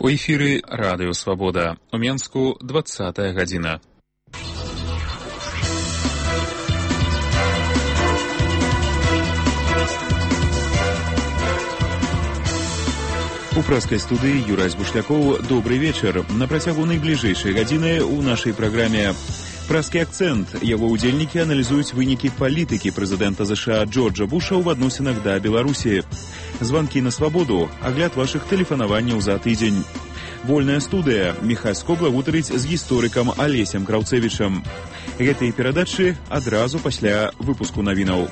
У эфіры Радыё Свабода. У Менску 20-я гадзіна. У прэскай студыі Юрась Бушлякоў. Добрый вечар. На працягу найбліжэйшай гадзіны ў нашай праграме «Прэскі акцэнт». Яго ўдзельнікі аналізуюць вынікі палітыкі прэзідэнта США Джорджа Буша ў адносінах да Беларусі. Званкі на свабоду, агляд вашых тэлефанаванняў за тыдзень. Вольная студыя. Міхась Скобла гутарыць з гісторыкам Алесем Краўцэвічам. Гэтыя перадачы адразу пасля выпуску навінаў.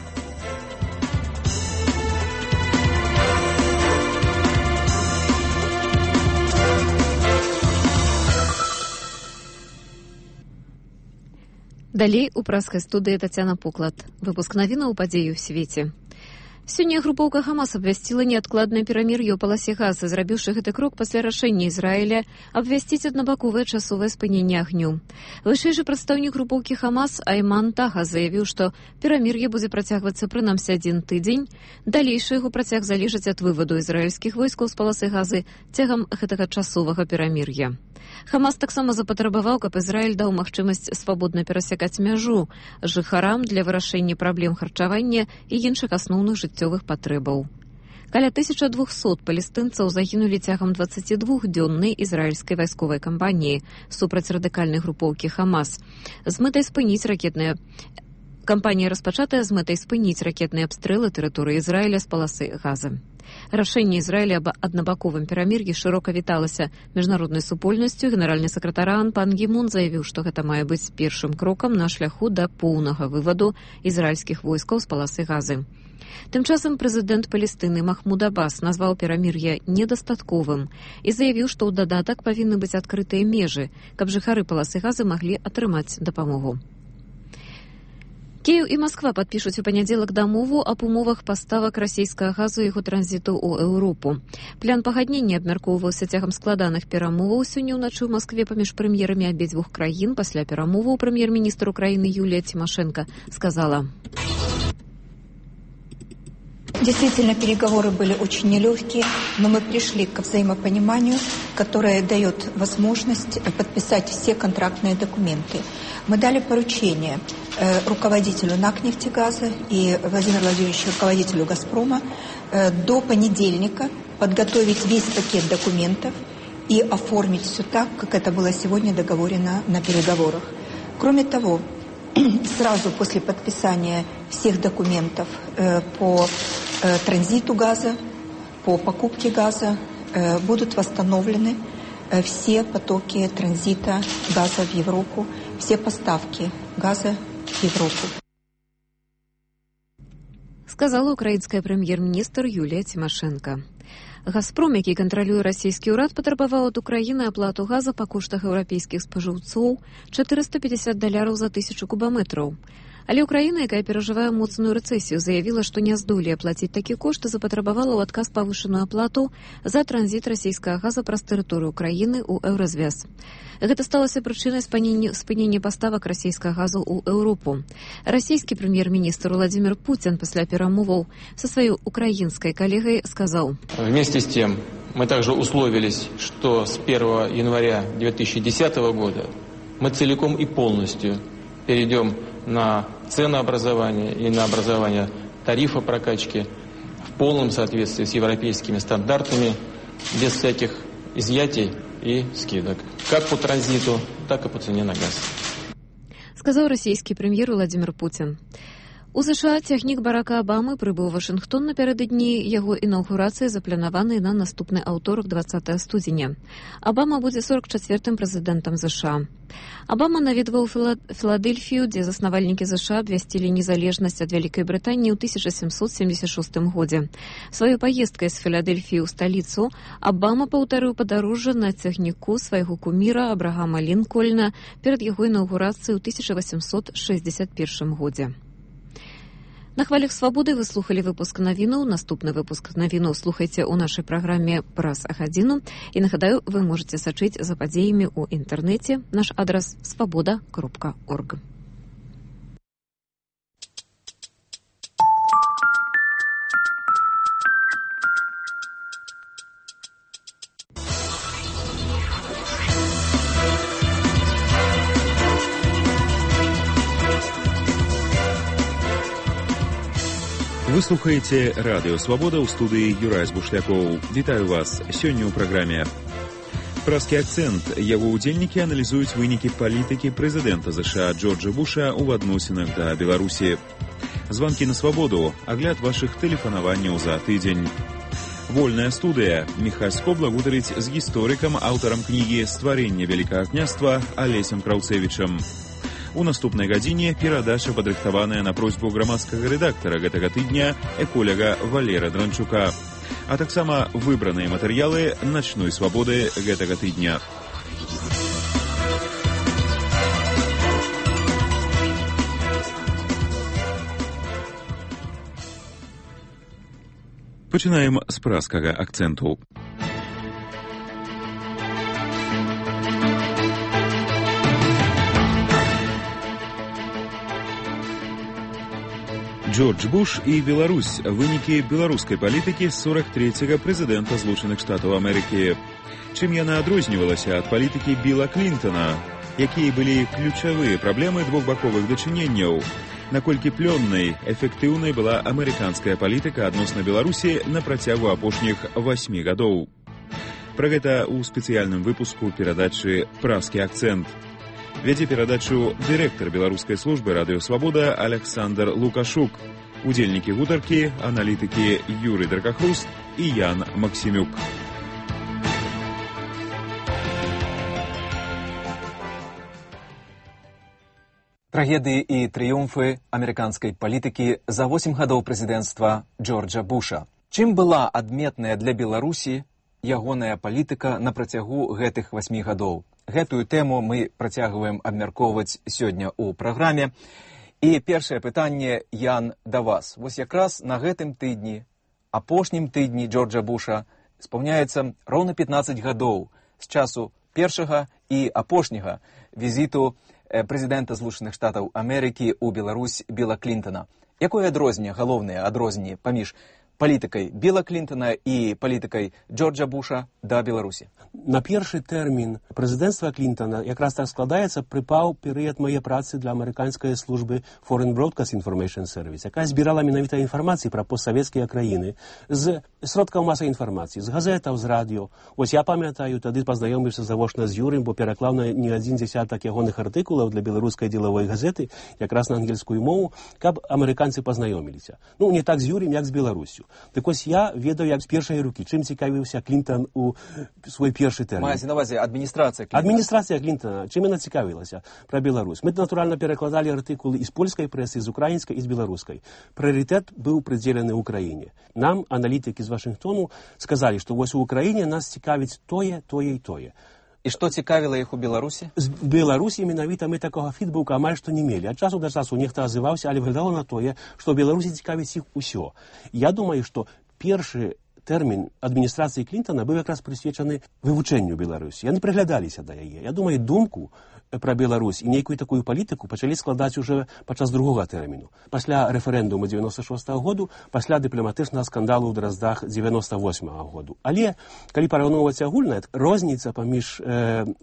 Далей у прэскай студыі Тацяна Поклад. Выпуск навінаў падзеі ў свеце. Сёння групоўка Хамас абвясціла неадкладнае перамір'е ў паласе Газы, зрабіўшы гэты крок пасля рашэння Ізраіля абвясціць аднабаковае часовае спыненне агню. Вышэйшы прадстаўнік групоўкі Хамас Айман Таха заявіў, што перамір'е будзе працягвацца прынамсі 1 тыдзень. Далейшы яго працяг залежыць ад вываду ізраільскіх войскаў з паласы Газы цягам гэтага часовага перамір'я. Хамас таксама запатрабаваў, каб Ізраіль даў магчымасць свабодна перасякаць мяжу жыхарам для вырашэння праблем харчавання і іншых асноўных жыццёвых патрэбаў. Каля 1200 палестынцаў загінулі цягам 22-дзённай ізраільскай вайсковай кампаніі супраць радыкальнай групоўкі Хамас. Кампанія распачатая з мэтай спыніць ракетныя абстрэлы тэрыторыі Ізраіля з паласы Газы. Рашэнне Ізраіля аб аднабаковым перамір'і шырока віталася міжнароднай супольнасцю. Генеральны сакратар ООН Пан Гі Мун заявіў, што гэта мае быць першым крокам на шляху да поўнага вываду ізраільскіх войскаў з паласы Газы. Тым часам прэзідэнт Палестыны Махмуд Аббас назваў перамір'е недастатковым і заявіў, што ў дадатак павінны быць адкрытыя межы, каб жыхары паласы Газы маглі атрымаць дапамогу. Кіеў і Масква падпішуць у панядзелак дамову аб умовах паставак расійскага газу і яго транзіту ў Еўропу. План пагаднення абмяркоўваўся цягам складаных перамоваў сёння ўначы ў Маскве паміж прэм'ерамі абедзвюх краін. Пасля перамоваў прэм'ер-міністр Украіны Юлія Тимошенко сказала: Действительно, переговоры были очень нелегкие, но мы пришли к взаимопониманию, которое дает возможность подписать все контрактные документы. Мы дали поручение руководителю НАК-Нефтегаза и Владимиру Владимировичу, руководителю «Газпрома», до понедельника подготовить весь пакет документов и оформить все так, как это было сегодня договорено на переговорах. Кроме того, сразу после подписания всех документов по транзиту газа, по покупке газа будут восстановлены все потоки транзита газа в Европу, все поставки газа в Европу. Сказала украінская прэм'ер-міністр Юлія Тимошенко. «Газпром», які кантралюе расійскі ўрад, патрабаваў ад Украіны аплату газа па коштах еўрапейскіх спажыўцоў $450 за 1000 кубаметраў. Але Украіна, якая перажывае моцную рэцэсію, заявіла, што не здолее плаціць такі кошт і запатрабавала ў адказ павышаную аплату за транзіт расійскага газа праз тэрыторыю Украіны ў Еўразвяз. Гэта сталася прычынай спынення паставак расійскага газу ў Еўропу. Расійскі прэм'ер-міністр Владимир Путин пасля перамоваў са сваёй украінскай калегай сказаў: Вместе с тем, мы также условились, что с 1 января 2010 года мы целиком и полностью перейдем на ценообразование и на образование тарифа прокачки в полном соответствии с европейскими стандартами, без всяких изъятий и скидок. Как по транзиту, так и по цене на газ. Сказал российский премьер Владимир Путин. У США цягнік Барака Абамы прыбыў у Вашынгтон напярэдадні яго інаўгурацыі, запланаванай на наступны аўторак 20 студзеня. Абама будзе 44-м прэзідэнтам США. Абама наведваў Філадэльфію, дзе заснавальнікі США абвясцілі незалежнасць ад Вялікай Брытаніі ў 1776 годзе. Сваёй паездкай з Філадэльфіі ў сталіцу Абама паўтарыў падарожжа на цягніку свайго куміра Абрагама Лінкольна перад яго інаўгурацыяй ў 1861 годзе. На хвалях свабоды вы слухали выпуск навінаў. Наступны выпуск навінаў слухайце ў нашай праграме «Праз гадзіну». І нагадаю, вы можете сачыць за падзеямі ў інтэрнэце. Наш адрас svoboda.org. Вы слухаеце радыё «Свабода» ў студыі Юрай Збушлякоў. Вітаю вас сёння ў праграме. Праскі акцэнт. Яго ўдзельнікі аналізуюць вынікі палітыкі прэзідэнта ЗША Джорджа Буша ў адносінах да Беларусі. Званкі на свабоду. Агляд вашых тэлефанаванняў за тыдзень. Вольная студыя. Міхась Скобла гутарыць з гісторыкам, аўтарам кнігі «Стварэнне Вялікага княства» Алесем Краўцевічам. У наступнай гадзіне перадача, падрыхтаваная на просьбу грамадскага рэдактара гэтага тыдня, эколяга Валера Дранчука. А таксама выбраныя матэрыялы начной свабоды гэтага тыдня. Пачынаем з праскага акцэнту. Джордж Буш і Беларусь. Вынікі беларускай палітыкі з 43-го прэзідэнта Злучаных Штатаў Амерыкі. Чым яна адрознівалася ад палітыкі Біла Клінтона? Якія былі ключавыя праблемы двухбаковых дачыненняў? Наколькі плённай, эфектыўнай была амерыканская палітыка адносна Беларусі на працягу апошніх 8 гадоў? Пра гэта ў спецыяльным выпуску перадачы «Праскі акцэнт». Вядзе перадачу дырэктар беларускай службы радыё «Свабода» Александр Лукашук. Удзельнікі гутаркі, аналітыкі Юрый Дракахруст і Ян Максімюк. Трагедыі і трыумфы амерыканскай палітыкі за 8 гадоў прэзідэнцтва Джорджа Буша. Чым была адметная для Беларусі ягоная палітыка на працягу гэтых 8 гадоў? Гэтую тэму мы працягваем абмяркоўваць сёння ў праграме. І першае пытанне, Ян, да вас. Вось якраз на гэтым тыдні, апошнім тыдні Джорджа Буша, спаўняецца роўна 15 гадоў з часу першага і апошняга візіту прэзідэнта Злучаных Штатаў Амерыкі ў Беларусь Біла Клінтона. Якое адрозненне, галоўнае адрозненне паміж палітыкай Біла Клінтона і палітыкай Джорджа Буша да Беларусі? На першы тэрмін прэзідэнцтва Клінтона якраз так складаецца, прыпаў перыяд мае працы для амерыканскай службы Foreign Broadcast Information Service, якая збірала менавіта інфармацыі пра постсавецкія краіны з сродкаў масавай інфармацыі, з газетаў, з радыё. Вось я памятаю, тады пазнаёміўся завочна з Юрым, бо пераклаў на не адзін дзясятак ягоных артыкулаў для беларускай дзелавой газеты, якраз на ангельскую мову, каб амерыканцы пазнаёміліся. Ну, не так з Юрым, як з Беларусю. Так ось я ведаю, як з першай рукі, чым цікавіўся Клінтон у свой першы тэрмін. Маецца на ўвазе адміністрацыя Клінтона. Адміністрацыя Клінтона, чым яна цікавілася пра Беларусь. Мы, натуральна, перакладалі артыкулы і з польскай прэсы, з украінскай і з беларускай. Прыярытэт быў прыдзелены ўкраіне. Нам, аналітыкі з Вашынгтону, сказалі, што вось у Украіне нас цікавіць тое, тое і тое. І што цікавіла іх у Беларусі? З Беларусі менавіта мы такога фідбука амаль што не мелі. Ад часу да часу нехта азываўся, але выглядало на тое, што ў Беларусі цікавіць іх усё. Я думаю, што першы тэрмін адміністрацыі Клінтона быў якраз прысвечаны вывучэнню Беларусі. Яны прыглядаліся да яе. Я думаю, думку пра Беларусь і нейкую такую палітыку пачалі складаць уже падчас другога тэрміну. Пасля рэферэндуму 96-го году, пасля дыпламатычнага скандалу ў Драздах 98-го году. Але, калі параўноўваць агульна, розніца паміж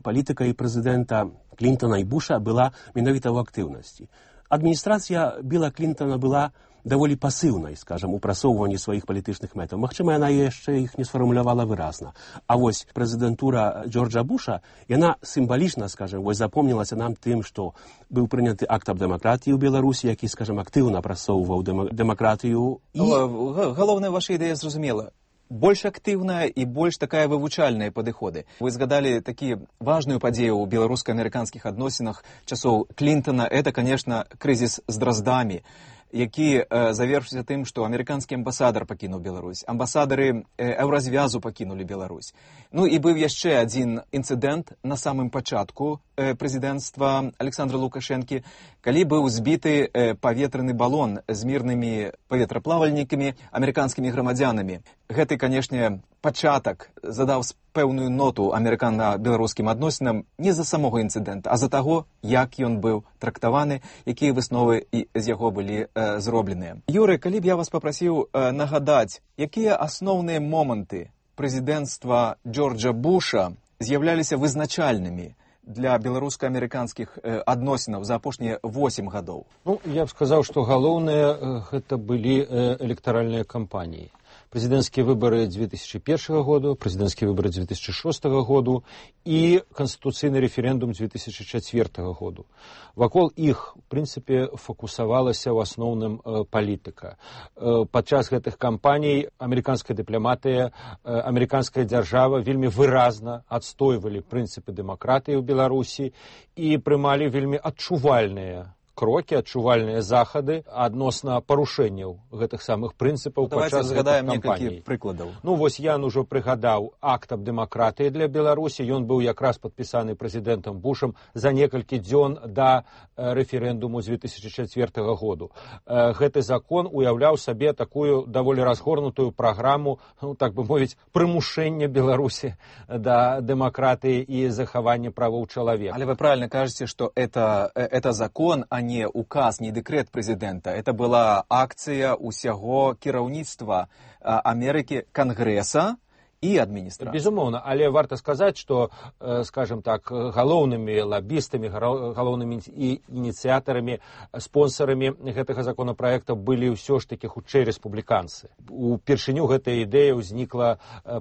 палітыкай прэзідэнта Клінтона і Буша была менавіта ў актыўнасці. Адміністрацыя Біла Клінтона была даволі пасыўнай, скажам, у прасоўванні сваіх палітычных мэтаў. Магчыма, яна яшчэ іх не сфармулявала выразна. А вось прэзідэнтура Джорджа Буша, яна сімвалічна, скажам, вось запомнілася нам тым, што быў прыняты акт аб дэмакратыі ў Беларусі, які, скажам, актыўна прасоўваў дэмакратыю. Галоўная ваша ідэя зразумела. Больш актыўная і больш такая вывучальная падыходы. Вы згадалі такі важную падзею ў беларуска-амерыканскіх адносінах часоў Клінтона. Это, конечно, крызіс з Драздамі, які завершыўся тым, што амерыканскі амбасадар пакінуў Беларусь, амбасадары Еўразвязу пакінулі Беларусь. Ну і быў яшчэ адзін інцыдэнт на самым пачатку прэзідэнцтва Александра Лукашэнкі, калі быў збіты паветраны балон з мірнымі паветраплавальнікамі, амерыканскімі грамадзянамі. Гэты, канешне, пачатак задаў пэўную ноту амерыкана-беларускім адносінам не з-за самога інцыдэнта, а з-за таго, як ён быў трактаваны, якія высновы з яго былі зробленыя. Юры, калі б я вас папрасіў нагадаць, якія асноўныя моманты прэзідэнцтва Джорджа Буша з'яўляліся вызначальнымі для беларуска-амерыканскіх адносінаў за апошнія 8 гадоў? Ну, я б сказаў, што галоўнае гэта былі электаральныя кампаніі. Президентские выборы 2001 года, президентские выборы 2006 года и конституционный референдум 2004 года. Вокол их, в принципе, фокусовалась в основном политика. Подчас этих кампаний американская дипломатия, американская держава вельми выразно отстаивали принципы демократии в Беларуси и принимали вельми адчувальные кроки, адчувальныя захады адносна парушэнняў гэтых самых прынцыпаў падчас гэтых кампаній. Ну, вось я ўжо прыгадаў акт аб дэмакратыі для Беларусі. Ён быў якраз падпісаны прэзідэнтам Бушам за некалькі дзён да рэферэндуму з 2004 году. Гэты закон уяўляў сабе такую даволі разгорнутую праграму, ну, так бы мовіць, прымушэння Беларусі да дэмакратыі і захавання правоў чалавека. Але вы правильно кажете, что это закон, а не указ, не декрет президента. Это была акция усяго кіраўніцтва Америки, Конгресса и администрации. Безумоўна, але варта сказаць, што, скажем так, галоўнымі лоббістамі, галоўнымі ініцыятарамі, спонсорамі гэтага законопроекта былі ўсё ж такі хутчэй рэспубліканцы. Упершыню гэтая ідэя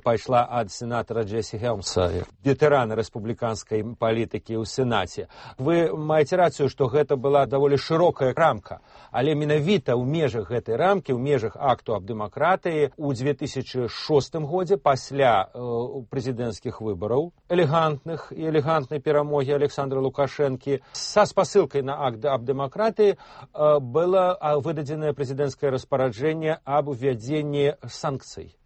пайшла ад сенатара Джесси Хелмса, ветэрана рэспубліканскай палітыкі ў Сенаце. Вы маеце рацыю, што гэта была даволі шырокая рамка, але менавіта ў межах гэтай рамкі, ў межах акту аб дэмакратыі ў 2006 годзе пасля президентских выборов, элегантной перамоги Александра Лукашенко, со спасылкой на акт об демократии было выдаденное президентское распоряджение об введении санкций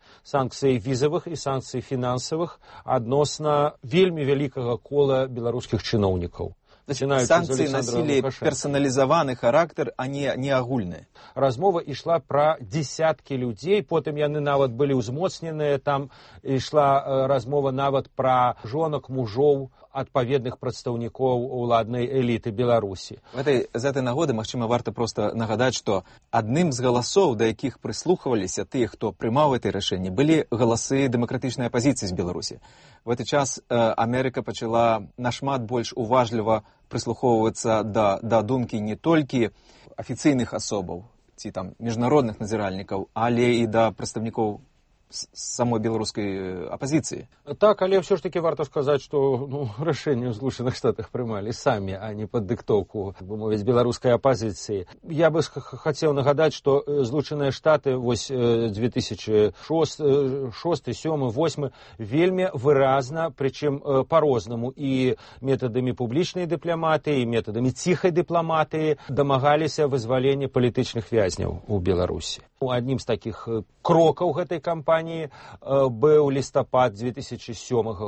визовых и санкций финансовых адносна вельмі вялікага кола беларускіх чыноўнікаў. Санкции носили персонализованный характер, а не агульные. Размова ішла про десятки людей, потым яны нават былі ўзмоцненыя, там ішла размова нават про жонак, мужоў адпаведных прадстаўнікоў уладнай эліты Беларусі. З этой нагоды, магчыма, варта просто нагадаць, што адным з галасоў, да якіх прыслухваліся тыя, хто прымаў гэтае рашэнне, былі галасы дэмакратычнай апазіцыі з Беларусі. В этот час Америка пачала нашмат больш уважліва прыслухоўвацца да думкі не толькі афіцыйных асобаў ці там міжнародных назіральнікаў, але і да прадстаўнікоў самой беларускай апозіцыі. Так, але все ж таки варто сказаць, што рашэнне ў Злучаных Штатах прымалі самі, а не пад дыктоўку, бы мовіць, беларускай апозіцыі. Я бы хацеў нагадаць, што Злучаныя Штаты вось 2006, 2007, 2008 вельмі выразна, прычым по-рознаму і метадамі публічнай дыпламатыі, і метадамі ціхай дыпламатыі дамагаліся вызвалення палітычных вязняў у Беларусі. Аднім з такіх крокаў гэтай кампаніі быў лістапад 2007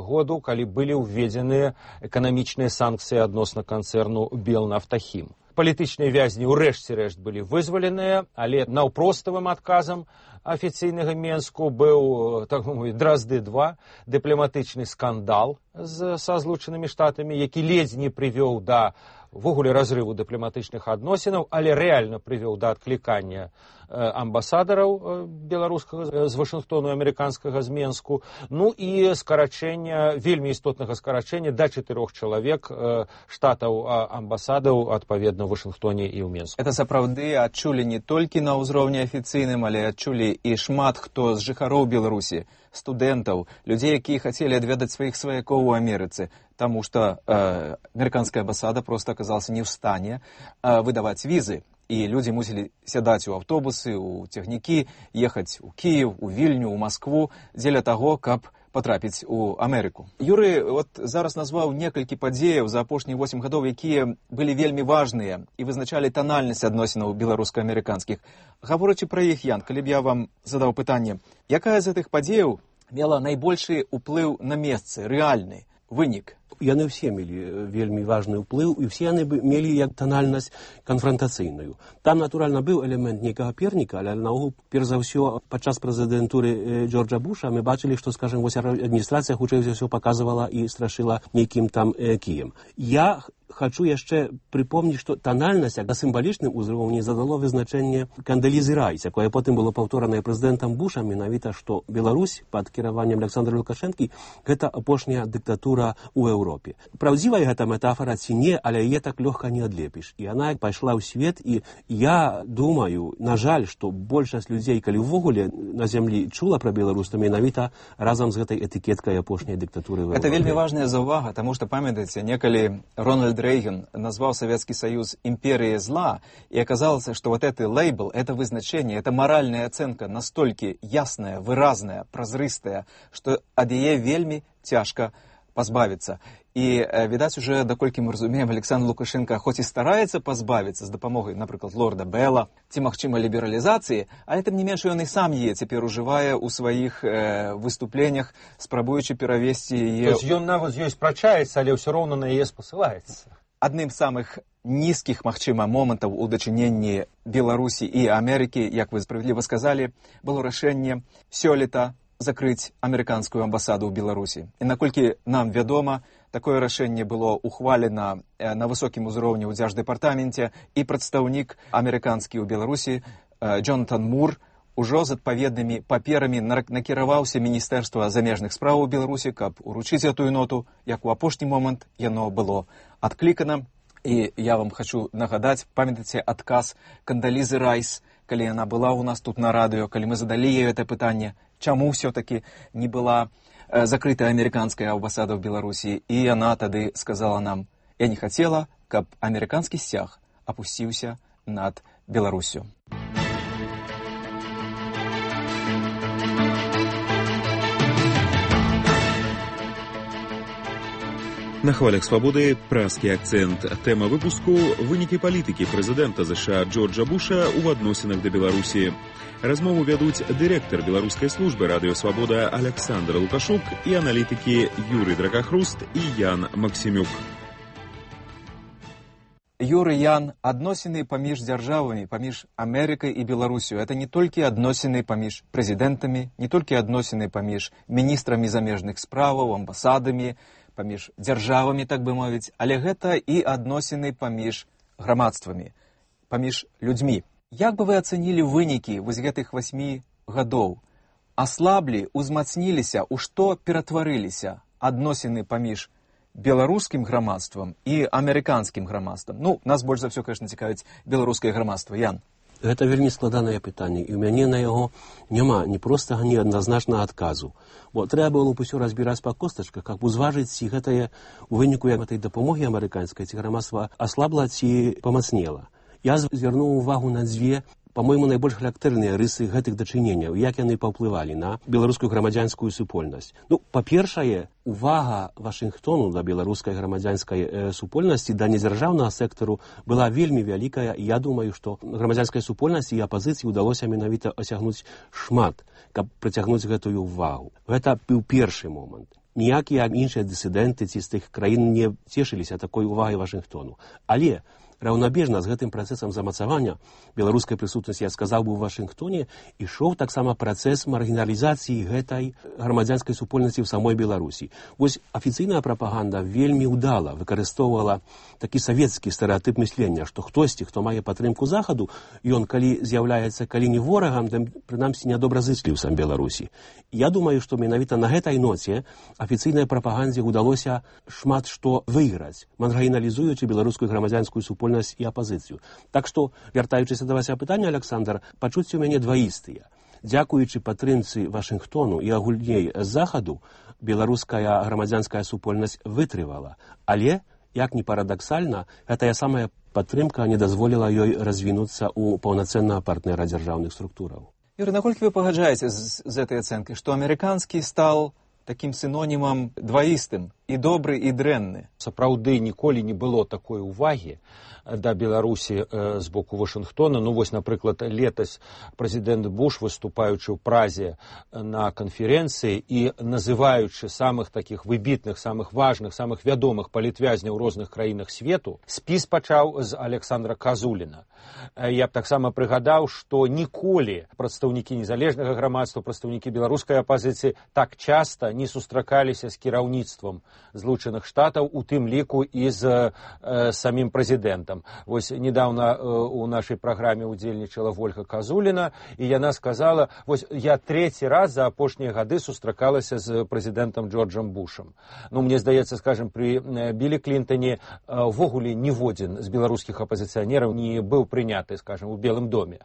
году, калі былі ўведзеныя эканамічныя санкцыі адносна канцэрну Белнафтахім. Палітычныя вязні ўрэшце рэшт былі вызваленыя, але наўпроставым адказам афіцыйнага Менску быў, так мовіць, Дразды-2, дыпламатычны скандал са Злучанымі Штатамі, які ледзь не прывёў да ввогуле разрыву дыпламатычных адносінаў, але рэальна прывёў да адклікання амбасадараў беларускага з Вашынгтону, амерыканскага з Менску, ну і скарачэння, вельмі істотнага скарачэння да 4 чалавек штатаў амбасадаў адпаведна ў Вашынгтоне і ў Менску. Это сапраўды адчулі не толькі на ўзроўні афіцыйным, але адчулі і шмат хто з жыхароў Беларусі, студэнтаў, людзей, якія хацелі адведаць сваіх сваякоў у Амерыцы, таму што амерыканская амбасада проста аказалася не ў стане выдаваць візы. І людзі мусілі сядаць у аўтобусы, у цягнікі, ехаць у Кіев, у Вільню, у Маскву, дзеля таго, каб патрапіць у Амерыку. Юрый зараз назваў некалькі падзеяў за апошнія 8 гадоў, якія былі вельмі важныя і вызначалі танальнасць адносінаў беларуска-амерыканскіх. Гаворачы пра іх, Ян, калі б я вам задаў пытанне, якая з гэтых падзеяў мела найбольшы ўплыў на месцы, рэальны вынік? Яны ўсе мелі вельмі важны ўплыў, і ўсе яны мелі як танальнасць канфрантацыйную. Там, натуральна, быў элемент нейкага перніка, але наогул, перш за ўсё, падчас прэзідэнтуры Джорджа Буша мы бачылі, што, скажем, вось адміністрацыя хутчэй за ўсё паказвала і страшыла нейкім там кіем. Я хочу яшчэ припомніць, што танальнасць на сімвалічным узроўні задало вызначэнне Кандалізы Райс, якое потым было паўторанае прэзідэнтам Бушам, менавіта, што Беларусь пад кіраваннем Александра Лукашэнкі гэта апошняя дыктатура ў Еўропе. Праўдзівая гэта метафора ці не, але яе так лёгка не адлепіш. І яна пайшла ў свет, і я думаю, на жаль, што большасць людзей, калі ўвогуле на зямлі чула пра Беларусь, то менавіта разам з гэтай этыкеткай апошняй дыктатуры ў Еўропе. Это вельмі важная заўвага, таму што, памятаеце, некалі Рональд Рейган назвал Советский Союз империей зла, и оказалось, что вот этот лейбл, это вызначение, это моральная оценка настолько ясная, выразная, прозрыстая, что ад яе вельмі цяжка пазбавіцца. І, відаць, уже, даколькі мы разумеем, Александр Лукашенко хоць і стараецца пазбавіцца з дапамогай, напрыклад, лорда Белла, ці, магчыма, лібералізацыі, але тым не менш ён і сам яе цяпер ужывае ў сваіх выступленнях, спрабуючы перавесці яе... То есть ён нават з ёй спрачаецца, але ўсё роўна на яе спасылаецца. Адным з самых нізкіх, магчыма, момантаў у дачыненні Беларусі і Амерыкі, як вы справядліва сказалі, было рашэнне сёлета закрыць амерыканскую амбасаду ў Беларусі. І наколькі нам вядома, такое рашэнне было ухвалена на высокім узроўні ў дзярждэпартаменце, і прадстаўнік амерыканскі ў Беларусі Джонатан Мур ужо з адпаведнымі паперамі накіраваўся Міністэрства замежных спраў у Беларусі, каб уручыць гэтую ноту, як у апошні момант яно было адклікана. І я вам хочу нагадаць, памятаеце адказ Кандалізы Райс, калі яна была ў нас тут на радыё, калі мы задалі ёй это пытанне, чаму ўсё-таки не была закрытая амерыканская амбасада ў Беларусі, і яна тады сказала нам: я не хацела, каб амерыканскі сцяг апусціўся над Беларусю. На хвалях свабоды празкі акцэнт. Тэма выпуску – вынікі палітыкі прэзідэнта США Джорджа Буша ў адносінах да Беларусі. Размову вядуць дырэктар беларускай службы радыё «Свабода» Александр Лукашук і аналітыкі Юрый Дракахруст і Ян Максімюк. Юрый, Ян, адносіны паміж дзяржавамі, паміж Амерыкай і Беларусю – это не толькі адносіны паміж прэзідэнтамі, не толькі адносіны паміж міністрамі замежных справаў, амбасадамі, паміж дзяржавамі, так бы мовіць, але гэта і адносіны паміж грамадствамі, паміж людзьмі. Як бы вы ацэнілі вынікі вось гэтых 8 гадоў? Аслаблі, узмацніліся, у што ператварыліся адносіны паміж беларускім грамадствам і амерыканскім грамадствам? Ну, нас больш за ўсё, конечно, цікавіць беларускае грамадства. Ян. Гэта вельмі складанае пытанне, і ў мяне на яго няма ні простага, ні адназначнага адказу. Бо трэба было б усё разбіраць па костачках, каб узважыць, ці гэтае у выніку гэтай дапамогі амерыканскай, ці грамадства аслабла, ці памацнела. Я звярнуў увагу на дзве, па-мойму, найбольш характэрныя рысы гэтых дачыненняў, як яны паўплывалі на беларускую грамадзянскую супольнасць. Ну, па-першае, увага Вашынгтону да беларускай грамадзянскай супольнасці, да недзяржаўнага сектару была вельмі вялікая, і я думаю, што грамадзянскай супольнасці і апазіцыі ўдалося менавіта асягнуць шмат, каб прыцягнуць гэтую увагу. Гэта быў першы момант. Ніякія іншыя дысідэнты ці з тых краін не цешыліся такой увагай Вашынгтону. Але раўнабежна з гэтым працэсам замацавання беларускай прысутнасці, я сказаў бы, у Вашынгтоне ішоў таксама працэс маргіналізацыі гэтай грамадзянскай супольнасці ў самой Беларусі. Вось афіцыйная прапаганда вельмі ўдала выкарыстоўвала такі савецкі стэрэатып мыслення, што хтосьці, хто мае падтрымку захаду, ён калі з'яўляецца калі не ворагам, то прынамсі нядобразычліўцам Беларусі. Я думаю, што менавіта на гэтай ноце афіцыйнай прапагандзе ўдалося шмат што выйграць, маргіналізуючы беларускую грамадзянскую супольнасць і апазіцыю. Так што, вяртаючыся да вашага пытання, Александр, пачуцці ў мяне дваістыя. Дзякуючы падтрымцы Вашынгтону і агульней захаду, беларуская грамадзянская супольнасць вытрывала. Але, як ні парадаксальна, гэтая самая падтрымка не дазволіла ёй развінуцца ў паўнацэннага партнера дзяржаўных структураў. Юрий, наколькі вы пагаджаеце з гэтай ацэнкай, што амерыканскі стаў такім синонімам дваістым, і добры, і дрэнны? Сапраўды ніколі не было такой увагі да Беларусі з боку Вашынгтона. Ну вось, напрыклад, летась прэзідэнт Буш, выступаючы ў Празе на канферэнцыі і называючы самых такіх выбітных, самых важных, самых вядомых палітвязняў у розных краінах свету, спіс пачаў з Александра Казуліна. Я б таксама прыгадаў, што ніколі прадстаўнікі незалежнага грамадства, прадстаўнікі беларускай апазіцыі так часта не сустракаліся з кіраўніцтвам Злучаных Штатаў, у тым ліку і з самім прэзідэнтам. Вось недавно у нашай праграме удзельнічала Вольга Казуліна, і яна сказала, вось я трэці раз за апошнія гады сустракалася з прэзідэнтам Джорджам Бушам. Ну, мне здаецца, скажем, при Білі Клінтоне ввогуле ніводзін з беларускіх апазіцыянераў не быў прыняты, скажем, у Белым доме.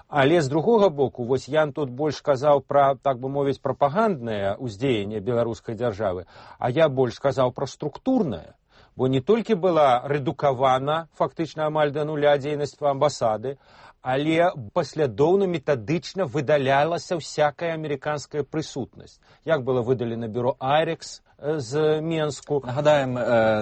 Але з другога боку, вось Ян тут больш казаў пра, так бы мовіць, прапаганднае ўздзеянне беларускай дзяржавы, а я больш сказаў пра структурнае. Бо не толькі была рэдукавана фактычна амаль да нуля дзейнасць амбасады, але паслядоўна метадычна выдалялася всякая амерыканская прысутнасць. Як было выдалена бюро «Айрекс» з Менску. Нагадаем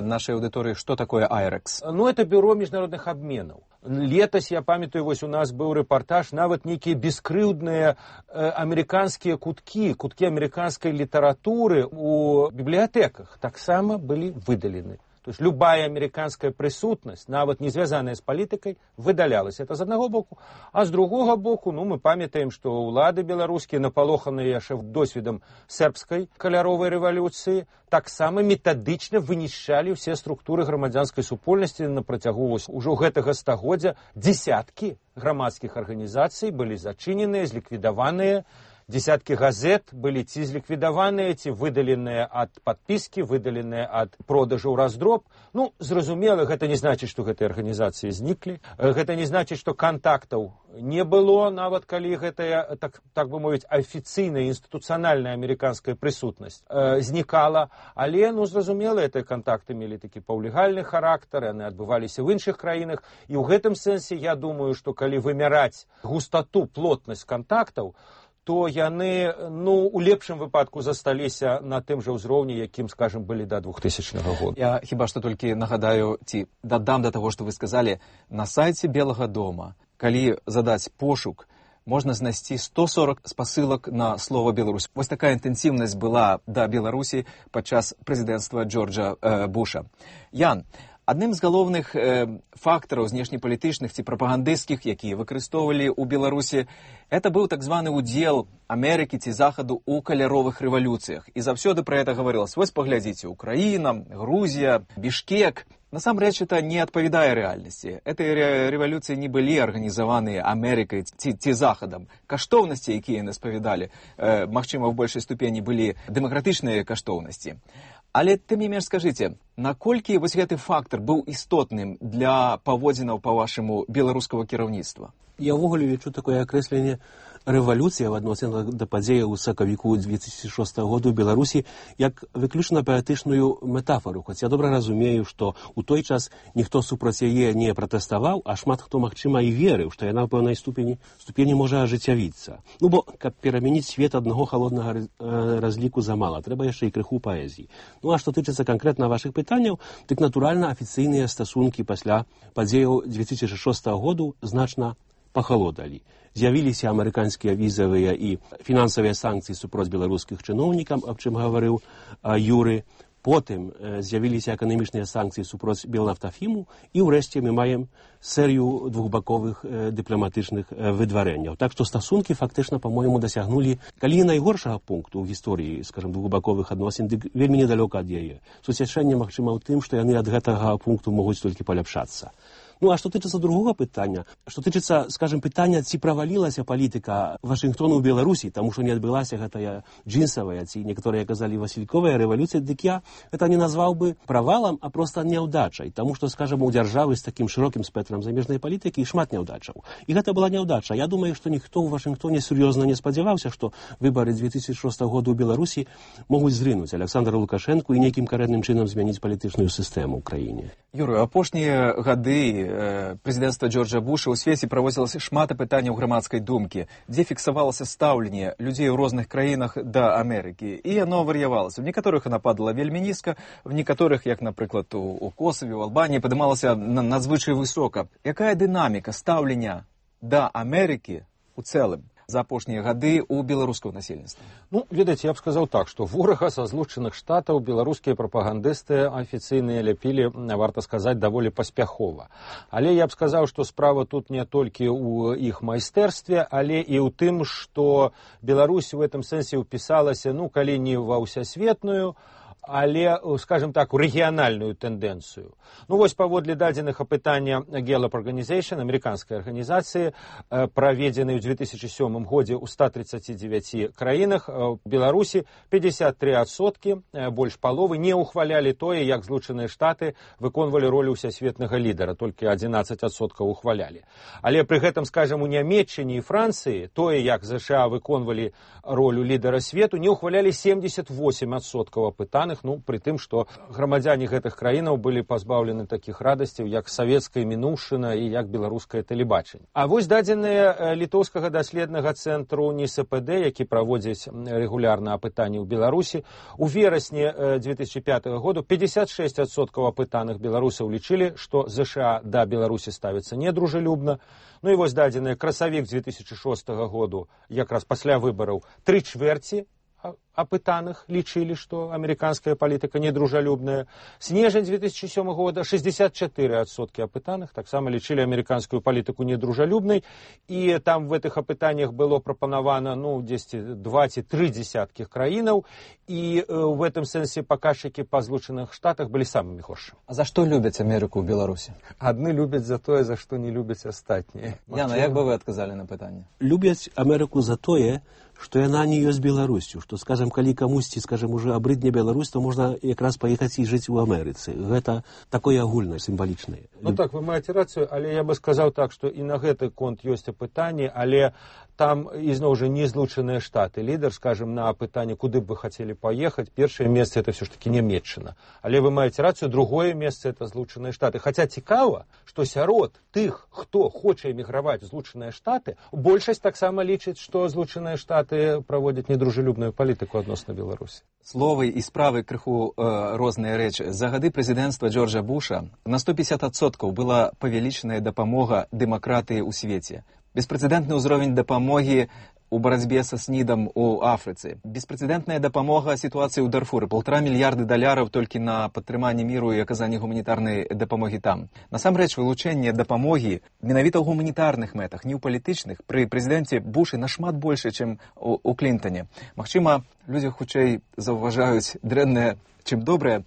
нашей аудитории, что такое «Айрекс». Ну, это бюро международных обменов. Летась, я памятаю, вось у нас быў рэпартаж, нават нейкія бескрыўдныя амерыканскія куткі амерыканскай літаратуры у бібліятэках таксама былі выдалены. То есть любая американская присутность, нават не звязаная с политикой, выдалялась. Это з одного боку. А з другого боку, ну, мы памятаем, что улады беларускія, напалоханыя яшчэ досведам сербской каляровой рэвалюцыі, таксама метадычна вынішчалі ўсе структуры грамадзянскай супольнасці на працягу ўжо гэтага стагоддзя. Десяткі грамадскіх арганізацый былі зачыненыя, зліквідаваныя. Десятки газет были ці зліквідаваныя, ці выдаленыя ад падпіскі, выдаленыя ад продажу ў раздроб. Ну, зразумела, гэта не значыць, што гэтыя арганізацыі зніклі. Гэта не значыць, што кантактаў не было, нават калі гэтая, так бы мовіць, афіцыйная, інстытуцыянальная амерыканская прысутнасць знікала. Але, ну, зразумела, гэтыя кантакты мелі такі паўлегальны характар, яны адбываліся ў іншых краінах. І ў гэтым сэнсе я думаю, што калі вымяраць густату, плотнасць кантактаў, то яны, ну, у лепшым выпадку засталіся на тым жа ўзроўні, якім, скажем, былі да 2000 года. Я хіба што толькі нагадаю, ці дадам да таго, што вы сказалі, на сайце Белага дома, калі задаць пошук, можна знайсці 140 спасылак на слово «Беларусь». Вось такая інтэнсіўнасць была да Беларусі падчас прэзідэнцтва Джорджа Буша. Ян, адным з галоўных фактараў знешнепалітычных ці прапагандысцкіх, якія выкарыстоўвалі ў Беларусі, это быў так званы удзел Амерыкі ці Захаду ў каляровых рэвалюцыях. І заўсёды пра гэта гаварылася. Вось паглядзіце, Украіна, Грузія, Бішкек. Насамрэч, это не адпавядае рэальнасці. Гэтыя рэвалюцыі не былі арганізаваныя Амерыкай ці Захадам. Каштоўнасці, якія яны спавядалі, магчыма, ў большай ступені былі дэмакратычныя каштоўнасці. Але тым не менш скажыце, наколькі вось гэты фактар быў істотным для паводзінаў, па-вашаму, беларускага кіраўніцтва? Я ўвогуле лічу такое акрэсленне рэвалюцыя в адносінах да падзеяў у сакавіку 2006 году ў Беларусі як выключна паэтычную метафору. Хоць я добра разумею, што ў той час ніхто супраць яе не пратэставаў, а шмат хто, магчыма, і верыў, што яна ў пэўнай ступені можа ажыццявіцца. Ну, бо, каб перамяніць свет аднаго халоднага разліку замала, трэба яшчэ і крыху паэзіі. Ну, а што тычыцца канкрэтна вашых пытанняў, дык, натуральна, афіцыйныя стасункі пасля падзеяў 2006 году значна пахалодалі. З'явіліся амерыканскія візавыя і фінансавыя санкцыі супроць беларускіх чыноўнікаў, аб чым гаварыў Юры. Потым з'явіліся эканамічныя санкцыі супроць Белнафтафіму і ўрэшце мы маем серыю двухбаковых дыпламатычных выдварэнняў. Так што стасункі фактычна, па-мойму, дасягнулі, калі найгоршага пункту ў гісторыі, скажам, двухбаковых адносін, дык вельмі недалёка ад яе. Суцяшэнне, магчыма, ў тым, што яны ад гэтага пункту могуць толькі паляпшацца. Ну, а што тычыцца другога пытання, што тычыцца, скажем, пытання, ці правалілася палітыка Вашынгтону ў Беларусі, таму што не адбылася гэтая джинсавая, ці некаторыя казалі васільковая рэвалюцыя, дык я гэта не назваў бы правалам, а проста няўдачай, таму што, скажем, у дзяржавы з такім шырокім спектрам замежнай палітыкі шмат няўдачаў. І гэта была няўдача. Я думаю, што ніхто ў Вашынгтоне сур'ёзна не спадзяваўся, што выбары 2006 году ў Беларусі могуць зрынуць Александра Лукашэнку і нейкім карэнным чынам змяніць палітычную сістэму ў краіне. Юры, апошнія гады прэзідэнцтва Джорджа Буша ў свеце праводзілася шмат пытанняў грамадскай думкі, дзе фіксавалася стаўленне людзей у розных краінах да Амерыкі. І яно вар'явалася. В некаторых яна падала вельмі нізка, в некаторых, як, напрыклад, у Косаве, у Албаніі, падымалася надзвычай высока. Якая дынаміка стаўлення да Амерыкі ў цэлым за апошнія гады ў беларускага насельніцтва? Ну, ведаеце, я б сказаў так, што ворага са Злучаных Штатаў беларускія прапагандысты афіцыйныя ляпілі, варта сказаць, даволі паспяхова. Але я б сказаў, што справа тут не толькі ў іх майстэрстве, але і ў тым, што Беларусь у гэтым сэнсе ўпісалася, ну, калі не ва ўсясветную, але, скажем так, у рэгіянальную тэндэнцыю. Ну, вось паводле дадзеных апытання Gallup Organization, амерыканскай арганізацыі, праведзенай у 2007 годзе ў 139 краінах, у Беларусі 53%, больш паловы, не ухвалялі тое, як Злучаныя Штаты выконвалі ролю ўсясветнага лідара, толькі 11% ухвалялі. Але пры гэтым, скажем, у Нямецчыне і Францыі тое, як ЗША выконвалі ролю лідара свету, не ухвалялі 78% апытаных, ну, при тым, што грамадзяне гэтых краінаў былі пазбаўлены такіх радасцяў, як савецкая мінуўшчына і як беларускае тэлебачанне. А вось дадзеныя літоўскага даследнага цэнтру НИСПД, які праводзіць рэгулярна апытанні ў Беларусі, у верасні 2005 году 56% апытаных беларусаў лічылі, што ЗША да Беларусі ставіцца недружелюбна. Ну і вось дадзеныя красавік 2006 году, якраз пасля выбараў, 3/4 апытаных лічылі, што амерыканская палітыка недружалюбная. Снежань 2007 года 64% апытаных таксама лічылі амерыканскую палітыку недружалюбнай, і там в этих апытаннях было прапанавана, ну, 2-3 десяткіх краінаў, і в этом сэнсе паказчыкі па Злучаных Штатах былі самымі горшымі. А за што любяць Амерыку ў Беларусі? Адны любяць за тое, за што не любяць астатнія. Яна, як бы вы адказалі на пытанне? Любяць Амерыку за тое, што яна не ёсць Беларусю, што, скажем, калі камусьці, скажем, уже абрыдне Беларусь, то можна якраз паехаць і жыць у Амерыцы. Гэта такое агульнае, сімвалічнае. Ну так, вы маеце рацыю, але я бы сказаў так, што і на гэты конт ёсць апытанні, але там, ізноў жа, не Злучаныя Штаты. Лідар, скажем, на апытанне, куды б вы хацелі паехаць, першае месца это все ж таки Нямецчына. Але вы маеце рацыю, другое месца это Злучаныя Штаты. Хаця цікава, што сярод тых, хто хоча эміграваць у Злучаныя Штаты, большасць таксама лічыць, што Злучаныя Штаты праводзяць недружелюбную палітыку адносна Беларусі. Словы і справы крыху розныя рэчы. За гады прэзідэнцтва Джорджа Буша на 150% была павялічаная дапамога дэмакратыі ў свеце. Беспрэцэдэнтны ўзровень дапамогі у барацьбе са СНІДам у Афрыцы. Беспрэцэдэнтная дапамога сітуацыі ў Дарфуры. $1,5 мільярда толькі на падтрыманне міру і аказанне гуманітарнай дапамогі там. Насамрэч, вылучэнне дапамогі менавіта ў гуманітарных мэтах, не ў палітычных, пры прэзідэнце Бушы нашмат больше, чым у Клінтане. Магчыма, людзі хутчэй заўважаюць дрэннае, чым добрае.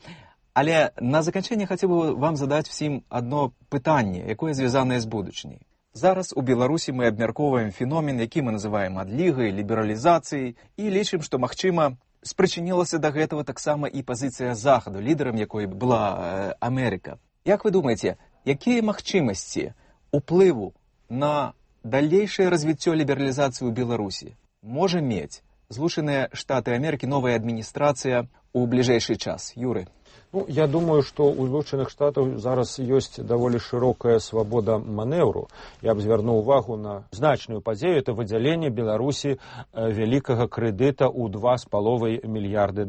Але на заканчэнне хацеў бы вам задаць всім адно пытанне, якое звязанае з будучыняй. Зараз у Беларусі мы абмяркоўваем феномен, які мы называем адлігай, лібералізацыяй, і лічым, што, магчыма, спрычынілася да гэтага таксама і пазіцыя Захаду, лідарам якой была Амерыка. Як вы думаеце, якія магчымасці уплыву на далейшае развіццё лібералізацыі ў Беларусі можа мець Злучаныя Штаты Амерыкі, новая адміністрацыя ў бліжэйшы час? Юры. Ну, я думаю, што ў Злучаных Штатаў зараз ёсць даволі шырокая свабода манеўру. Я б звярнуў увагу на значную падзею, это выдзяленне Беларусі вялікага крэдыта ў $2,5 мільярды.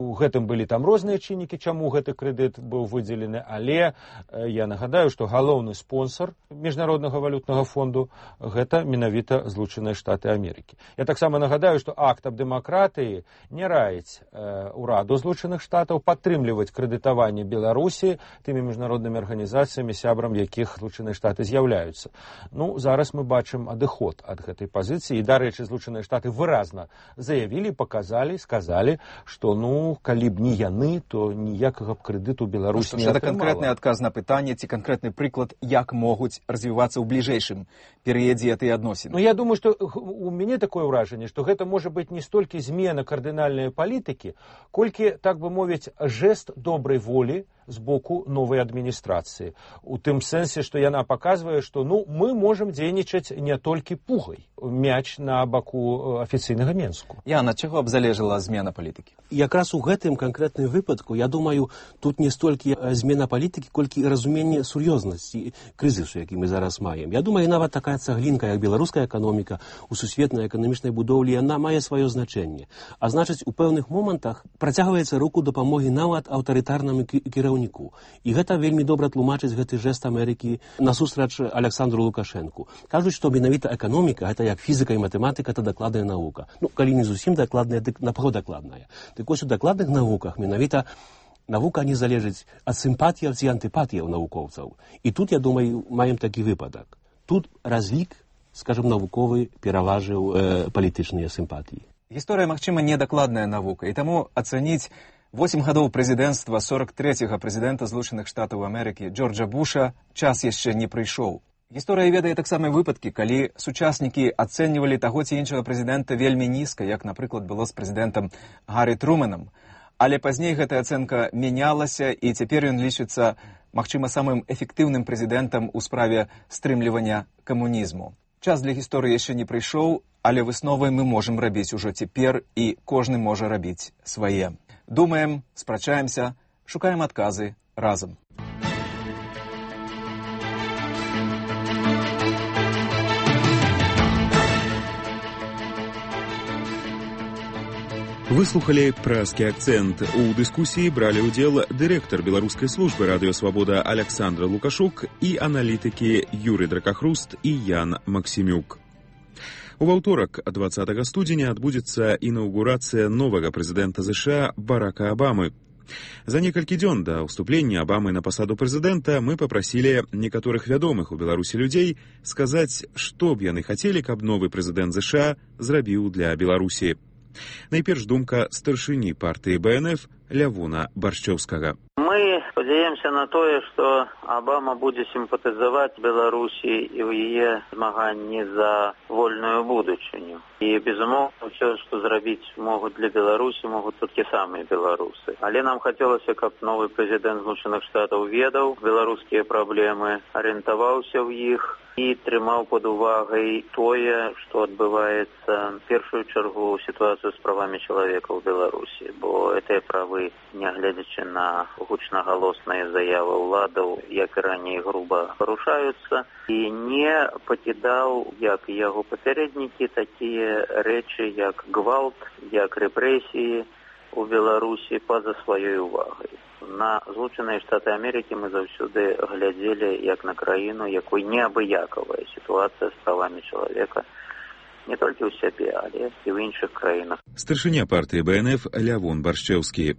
У гэтым былі там розныя чыннікі, чаму гэты крэдыт быў выдзелены, але я нагадаю, што галоўны спонсор Міжнароднага валютнага фонду гэта менавіта Злучаныя Штаты Амерыкі. Я таксама нагадаю, што акт аб дэмакратыі не раіць ураду Злучаных Штатаў падтрымліваць крэдытаванне Беларусі тымі міжнароднымі арганізацыямі, сябрам якіх Злучаныя Штаты з'яўляюцца. Ну, зараз мы бачым адыход ад гэтай пазіцыі, і, дарэчы, Злучаныя Штаты выразна заявілі, паказалі, сказалі, што, ну, калі б не яны, то ніякага б крэдыту Беларусь не атрымала. Гэта канкрэтны адказ на пытанне, ці канкрэтны прыклад, як могуць развівацца ў бліжэйшым перыядзе гэтыя адносіны? Ну, я думаю, што у мяне такое ўражанне, што гэта можа быць не столькі змена кардынальнай палітыкі, колькі, так бы мовіць, жэст добрай волі з боку новай адміністрацыі. У тым сэнсе, што яна паказвае, што, ну, мы можам дзейнічаць не толькі пугай. Мяч на баку афіцыйнага Менску. Яна, чаго б залежала змена палітыкі? Якраз у гэтым канкрэтным выпадку, я думаю, тут не столькі змена палітыкі, колькі разуменне сур'ёзнасці крызісу, які мы зараз маем. Я думаю, нават такая цаглінка, як беларуская эканоміка у сусветнай эканамічнай будоўлі, яна мае сваё значэнне. А значыць, у пэўных момантах працягваецца руку дапамогі нават аўтарытарнаму кіраўніку. І гэта вельмі добра тлумачыць гэты жэст Амерыкі насустрач Александру Лукашэнку. Кажуць, што менавіта эканоміка, гэта як фізіка і матэматыка, это дакладная навука. Ну, калі не зусім дакладная, дык напаго дакладная. Дык вось у дакладных навуках менавіта навука не залежыць ад сімпатіяў ці антыпатіяў навукоўцаў. І тут, я думаю, маем такі выпадак. Тут разлік, скажем, навуковы пераважыў палітычныя сімпатіі. Гісторыя, магчыма, недакладная навука, і таму ацаніць 8 гадоў прэзідэнцтва 43-го прэзідэнта Злучаных Штатаў Амерыкі Джорджа Буша час яшчэ не прыйшоў. Гісторыя ведае таксама выпадкі, калі сучаснікі ацэньвалі таго ці іншага прэзідэнта вельмі нізка, як, напрыклад, было з прэзідэнтам Гаррі Трумэнам. Але пазней гэтая ацэнка мянялася, і цяпер ён лічыцца, магчыма, самым эфектыўным прэзідэнтам у справе стрымлівання камунізму. Час для гісторыі яшчэ не прыйшоў, але высновы мы можам рабіць ужо цяпер, і кожны можа рабіць свае. Думаем, спрачаемся, шукаем адказы разам. Выслухали «Празкі акцент». У дыскусіі бралі ўдзел дырэктар беларускай службы «Радыёсвабода» Александра Лукашук і аналітыкі Юрый Дракахруст і Ян Максімюк. У аўторак, 20 студзеня, адбудзецца інаўгурацыя новага прэзідэнта США Барака Абамы. За некалькі дзён да ўступлення Абамы на пасаду прэзідэнта мы папрасілі некаторых вядомых у Беларусі людзей сказаць, што б яны хацелі, каб новы прэзідэнт США зрабіў для Беларусі. Найперш думка старшыні партыі БНФ Лявона Баршчоўскага. Мы спадзяемся на тое, што Абама будзе сімпатызаваць Беларусі і ў яе змаганні за вольную будучыню. І, безумоўна, ўсё, што зрабіць могуць для Беларусі, могуць толькі самыя беларусы. Але нам хацелася, каб новы прэзідэнт Злучаных Штатаў ведаў беларускія праблемы, арыентаваўся ў іх і трымаў пад увагай тое, што адбываецца в першую чаргу сітуацыю з правамі чалавека ў Беларусі, бо гэтыя правы, нягледзячы на гучнагалосныя заявы ўладаў, як і раней груба парушаюцца, і не пакідаў, як і яго папярэднікі, такія рэчы, як гвалт, як рэпрэсіі у Беларусі па-за сваёй увагай. На Злучаныя Штаты Амерыкі мы заўсёды глядзелі як на краіну, якой неабыякавая сітуацыя з правамі чалавека не толькі ў сябе, але і ў іншых краінах. Старшыня партыі БНФ Лявон Баршчоўскі.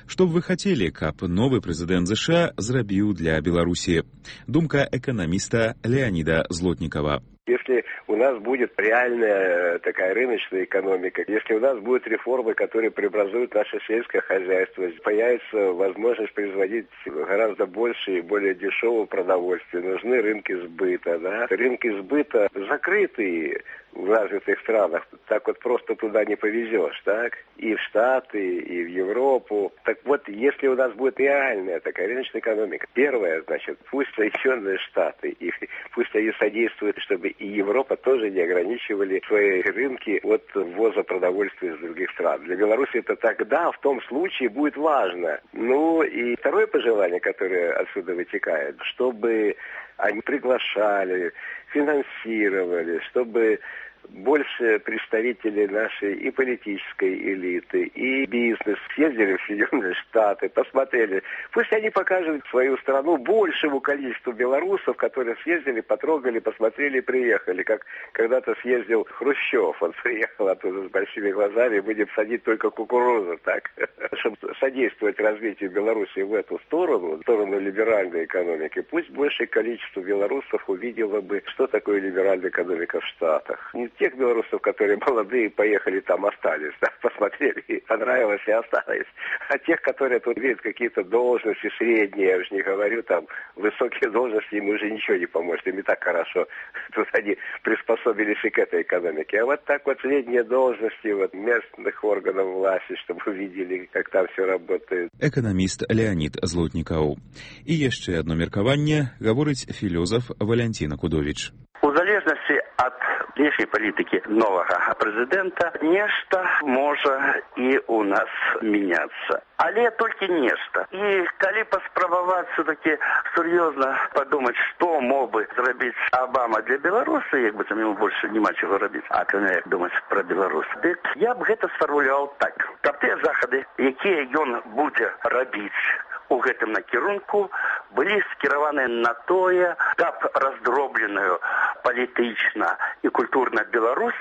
Што б вы хацелі, каб новы прэзідэнт США зрабіў для Беларусі? Думка эканаміста Леонида Злотникова. Если у нас будет реальная такая рыночная экономика, если у нас будут реформы, которые преобразуют наше сельское хозяйство, появится возможность производить гораздо больше и более дешевого продовольствия, нужны рынки сбыта. Да? Рынки сбыта закрытые в развитых странах, так вот просто туда не повезешь, так? И в Штаты, и в Европу. Так вот, если у нас будет реальная такая рыночная экономика, первое, значит, пусть Соединенные Штаты, и пусть они содействуют, чтобы и Европа тоже не ограничивали свои рынки от ввоза продовольствия из других стран. Для Беларуси это тогда, в том случае, будет важно. Ну, и второе пожелание, которое отсюда вытекает, чтобы они приглашали, финансировали, чтобы больше представителей нашей и политической элиты, и бизнес съездили в Соединенные Штаты, посмотрели. Пусть они покажут свою страну большему количеству белорусов, которые съездили, потрогали, посмотрели и приехали. Как когда-то съездил Хрущев, он приехал оттуда с большими глазами, будем садить только кукурузу, так? Чтобы содействовать развитию Беларуси в эту сторону, в сторону либеральной экономики, пусть большее количество белорусов увидело бы, что такое либеральная экономика в Штатах. Не тех белорусов, которые молодые, поехали там, остались, да, посмотрели, понравилось и остались. А тех, которые тут видят какие-то должности средние, я уже не говорю, там, высокие должности, им уже ничего не поможет, им и так хорошо. Тут они приспособились и к этой экономике. А вот так вот средние должности вот местных органов власти, чтобы увидели, как там все работает. Экономіст Леонид Злотников. І яшчэ одно меркаванне гаворыць філёзаф Валянціна Кудовіч. У залежнасці ад внешняй палітыкі новага прэзідэнта нешта можа і у нас мяняцца. Але толькі нешта. І калі паспрабаваць все-таки сур'ёзна падумаць, што мог бы зрабіць Абама для Беларуси, як бы там ему больше няма чего робіць, а кроме як думаць пра Беларусь, дык я б гэта сфармуляваў так. Каб тыя захады, якія ён будзе рабіць у гэтым накірунку, былі скіраваны на тое, каб раздробленую палітычна і культурна Беларусь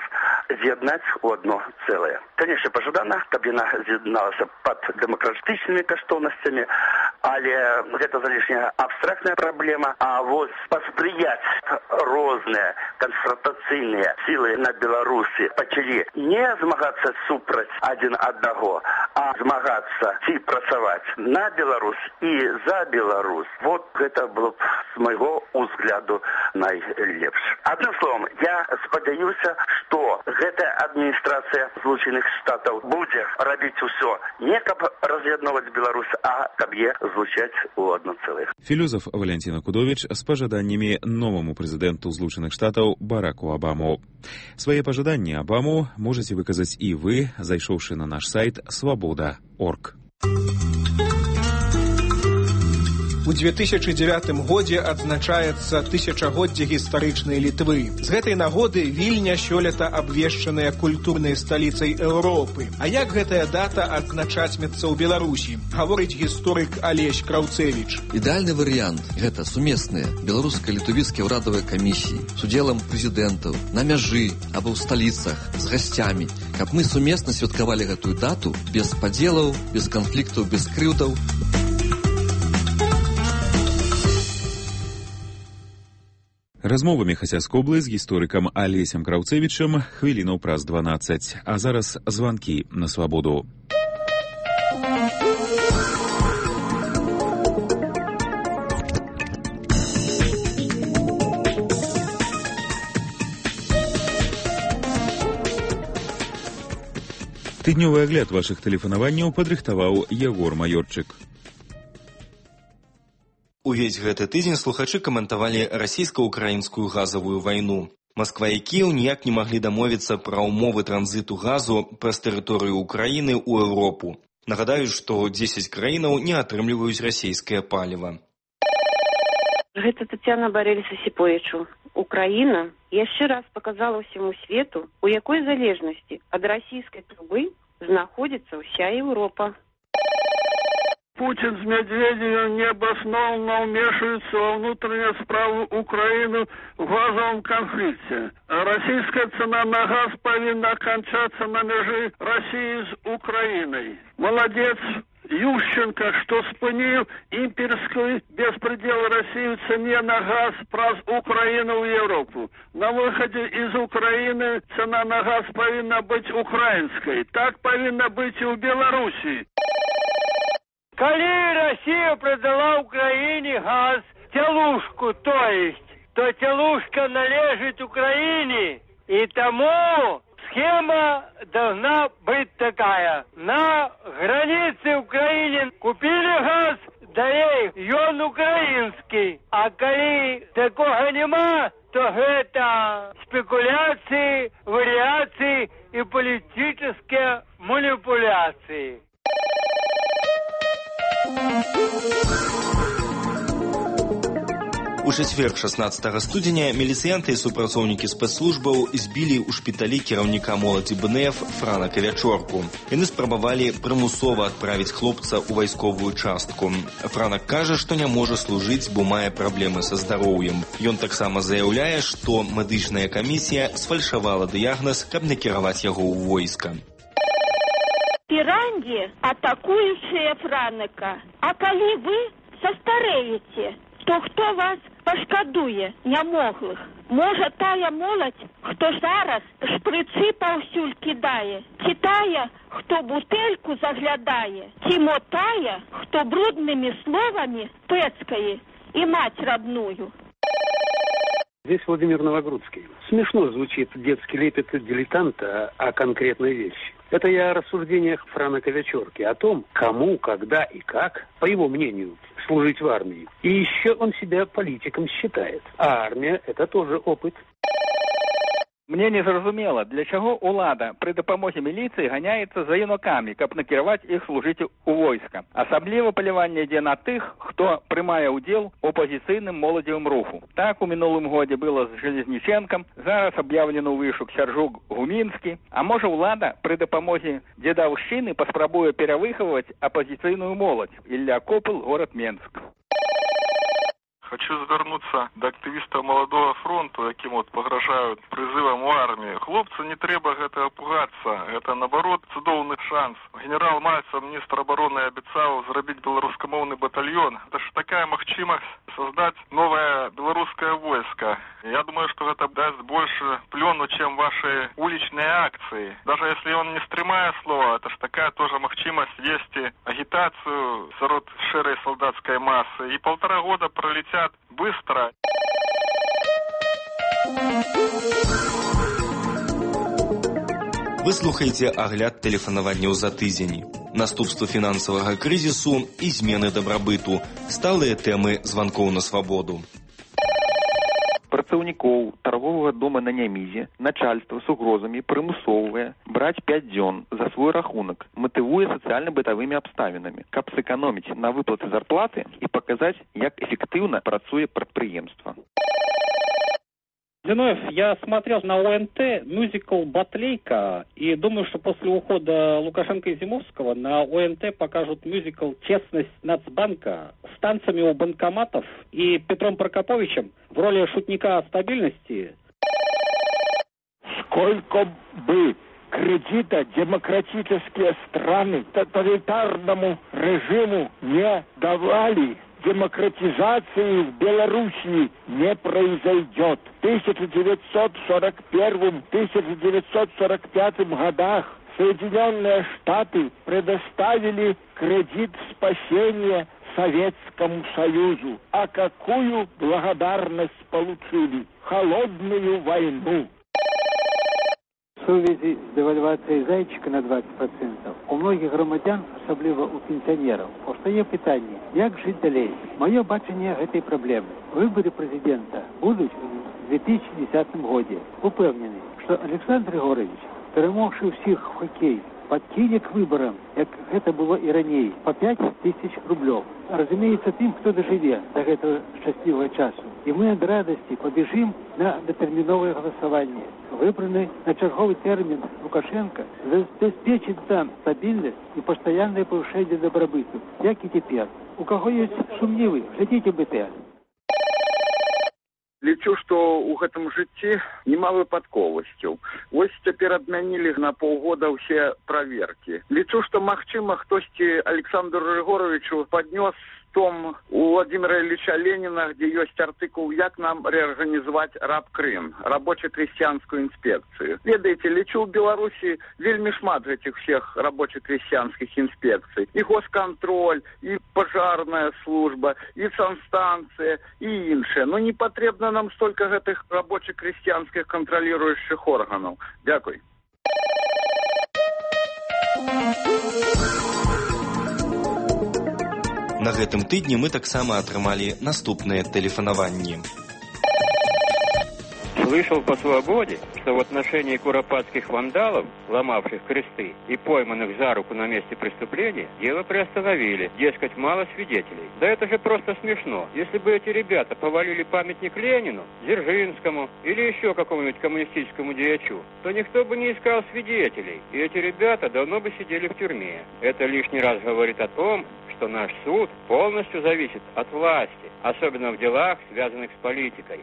з'яднаць у одно цэлае. Конечно, пажадана, каб яна з'ядналася пад дэмакратычнымі каштоўнасцямі, але гэта залішняя абстрактная праблема, а вот паспрыяць розныя канфронтацыйныя сілы на Беларусі пачалі не змагацца супраць адзін аднаго, а змагацца ці працаваць на Беларусь і за Беларусь. Вот гэта было б з майго ўзгляду найлепш. Адным словом, я спадзяюся, што гэтая адміністрацыя Злучаных Штатаў будзе рабіць усё не каб раз'ядноўваць Беларусь, а каб е злучаць у адно цэлае. Філёзаф Валентина Кудович з пажаданнямі новаму прэзідэнту Злучаных Штатаў Бараку Абаму. Свае пажаданні Абаму можаце выказаць і вы, зайшоўшы на наш сайт свабода.орг. У 2009 годзе адзначаецца тысячагоддзе гістарычнай Літвы. З гэтай нагоды Вільня сёлета абвешчаная культурнай сталіцай Еўропы. А як гэтая дата адзначатьмецца ў Беларусі, гаворыць гісторык Алесь Краўцевіч. Ідэальны варыянт – гэта сумесныя беларуска-літвійскія ўрадавыя камісіі з удзелам прэзідэнтаў на мяжы або ў сталіцах з гасцямі, каб мы сумесна святкавалі гэтую дату без падзелаў, без канфліктаў, без крыўдаў. Размова Міхася Скоблы з гісторыкам Алесем Краўцевічам хвілінаў праз 12. А зараз званкі на свабоду. Тыднёвы агляд вашых тэлефанаванняў падрыхтаваў Ягор Маёрчык. Увесь гэты тыдзень слухачы каментавалі расійска-украінскую газавую вайну. Масква і Кіеў ніяк не маглі дамовіцца пра ўмовы транзіту газу праз тэрыторыю Украіны ў Еўропу. Нагадаю, што 10 краінаў не атрымліваюць расійскае паліва. Гэта Тетяна Барэльса-Сіпоечу. Украіна яшчэ раз показала ўсяму свету, у якой залежнасці ад расійскай трубы знаходзіцца ўся Еўропа. Путин с Медведевым необоснованно вмешиваются во внутренние справы Украины в газовом конфликте. Российская цена на газ повинна кончаться на межи России с Украиной. Молодец Ющенко, что спынил имперский беспредел России в цене на газ праз Украину в Европу. На выходе из Украины цена на газ повинна быть украинской. Так повинна быть и в Беларуси. Коли Россия продала Украине газ, телушку, то телушка належит Украине. И тому схема должна быть такая. На границе Украины купили газ, дали он украинский. А коли такого нема, то это спекуляции, вариации и политические манипуляции. У чацвер 16 студзеня міліцыянты і супрацоўнікі спецслужбаў збілі ў шпіталі кіраўніка моладзі БНФ Франака Вячорку. Яны спрабавалі прымусова адправіць хлопца ў вайсковую частку. Франак кажа, што не можа служыць, бо мае праблемы са здароўем. Ён таксама заяўляе, што медычная камісія сфальшавала дыягназ, каб накіраваць яго ў войска. Пиранги, атакующие Франака. А коли вы состареете, то кто вас пошкодуе нямоглых? Може тая молодь, хто зараз шприци паўсюль кидає, ці тая, хто бутельку заглядає, ці мотая, хто брудными словами пэцкае и мать родную. Здесь Владимир Новогрудский. Смешно звучит детский лепет дилетанта о конкретной вещи. Это я о рассуждениях Франака Вячорки, о том, кому, когда и как, по его мнению, служить в армии. И еще он себя политиком считает. А армия – это тоже опыт. Мне не зразумела, для чаго ўлада пры дапамозе міліцыі ганяецца за юнакамі, каб накіраваць іх служыць у войска. Асабліва паляванне ідзе на тых, хто прымае ўдзел у апазіцыйным моладзевым руху. Так у мінулым годзе было з Железніченкам, зараз аб'яўлены ў вышук Сяржук Гумінскі. А можа ўлада пры дапамозе дзедаўшчыны паспрабуе перавыхаваць апазіцыйную моладзь. Ілля Копыл, горад Менск. Хочу звернуться до активістаў Маладога фронту, якім пагражаюць прызывам у армію. Хлопцы, не трэба гэтага пугацца. Гэта, наоборот, цудоўны шанс. Генерал Мальцев, міністр обороны, абяцаў зрабіць беларускамоўны батальон. Это ж такая магчымасць создать новое белорусское войско. Я думаю, что это даст больше плену, чем ваши уличные акции. Даже если он не стремая слова, это ж такая тоже махчимость вести агитацию срод широй солдатской массы. И 1,5 года пролетят быстро. Вы слухаеце агляд тэлефанаванняў за тыдзень. Наступствы фінансавага крызісу і змены дабрабыту. Сталыя тэмы званкоў на свабоду. Працаўнікоў тарговага дома на Нямізе начальства з угрозамі прымусоввае браць 5 дзён за свой рахунак, матывуе сацыяльна-бытавымі абставінамі, каб сэканоміць на выплаты зарплаты і паказаць, як эфектыўна працуе прадпрыемства. Зиновьев, я смотрел на ОНТ мюзикл «Батлейка» и думаю, что после ухода Лукашенко и Зимовского на ОНТ покажут мюзикл «Честность Нацбанка» с танцами у банкоматов и Петром Прокоповичем в роли шутника стабильности. Сколько бы кредита демократические страны тоталитарному режиму не давали, демократизации в Белоруссии не произойдет. В 1941-1945 годах Соединенные Штаты предоставили кредит спасения Советскому Союзу. А какую благодарность получили? Холодную войну. В сувязі з девальвацією зайчика на 20% у многих громадян, особливо у пенсіонерів, постає питання, як жити далі. Моє бачення цієї проблеми. Вибори президента будуть у 2010 році. Упевнений, що Олександр Григорович, перемогши всіх в хокей, подкине к выборам, как это было и ранее, по 5000 рублей. Разумеется, тем, кто доживет до этого счастливого часу. И мы от радости побежим на детерминовое голосование. Выбранный на черговый термин Лукашенко обеспечит нам стабильность и постоянное повышение добробыту, как и теперь. У кого есть сумнівы, глядите БТР. Лічу, што ў гэтым жыцці няма выпадковасцяў. Вось цяпер адмянілі на паўгода ўсе праверкі. Лічу, што, магчыма, хтосьці Александру Григоровичу паднёс том у Владимира Ильича Ленина, где есть артикул «Як нам реорганизовать раб-Крым», рабоче-крестьянскую инспекцию. Ведаете, лечу в Беларуси вельми шмат этих всех рабоче-крестьянских инспекций. И госконтроль, и пожарная служба, и санстанция, и инше. Но не потребно нам столько этих рабоче-крестьянских контролирующих органов. Дякую. На гэтым тыдні мы таксама атрымалі наступныя тэлефанаванні. Слышал по свободе, что в отношении куропатских вандалов, ломавших кресты и пойманных за руку на месте преступления, дело приостановили. Дескать, мало свидетелей. Да это же просто смешно. Если бы эти ребята повалили памятник Ленину, Дзержинскому или еще какому-нибудь коммунистическому деячу, то никто бы не искал свидетелей. И эти ребята давно бы сидели в тюрьме. Это лишний раз говорит о том, что наш суд полностью зависит от власти, особенно в делах, связанных с политикой.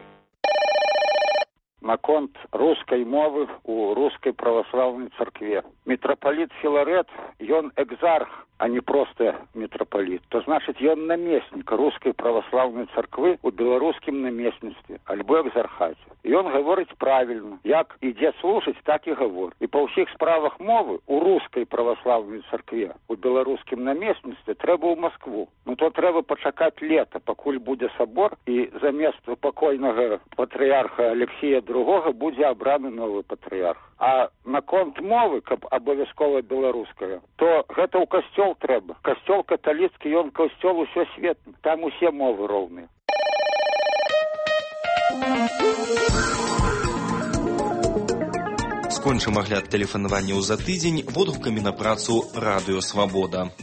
Наконт рускай мовы у рускай православнай царкве. Митрополит Филарет, ён экзарх, а не просто митрополит. То значит, ён наместник рускай православнай царквы у беларускім наместніцтве, альбо экзархаце. І ён гаворыць правільна. Як ідзе служыць, так і гавор. І па ўсіх справах мовы у рускай православнай царкве, у беларускім наместніцтве трэба ў Москву. Ну то трэба пачакаць лета, пакуль будзе сабор, і замест пакойнага патрыярха Алексея II будзе абраны новы патрыярх. А наконт мовы, каб абавязкова беларуская, то гэта ў касцёл трэба. Касцёл каталіцкі, ён касцёл усёсветны. Там усе мовы роўныя. Скончым агляд тэлефанаванняў за тыдзень водгукамі на працу Радыё Свабода.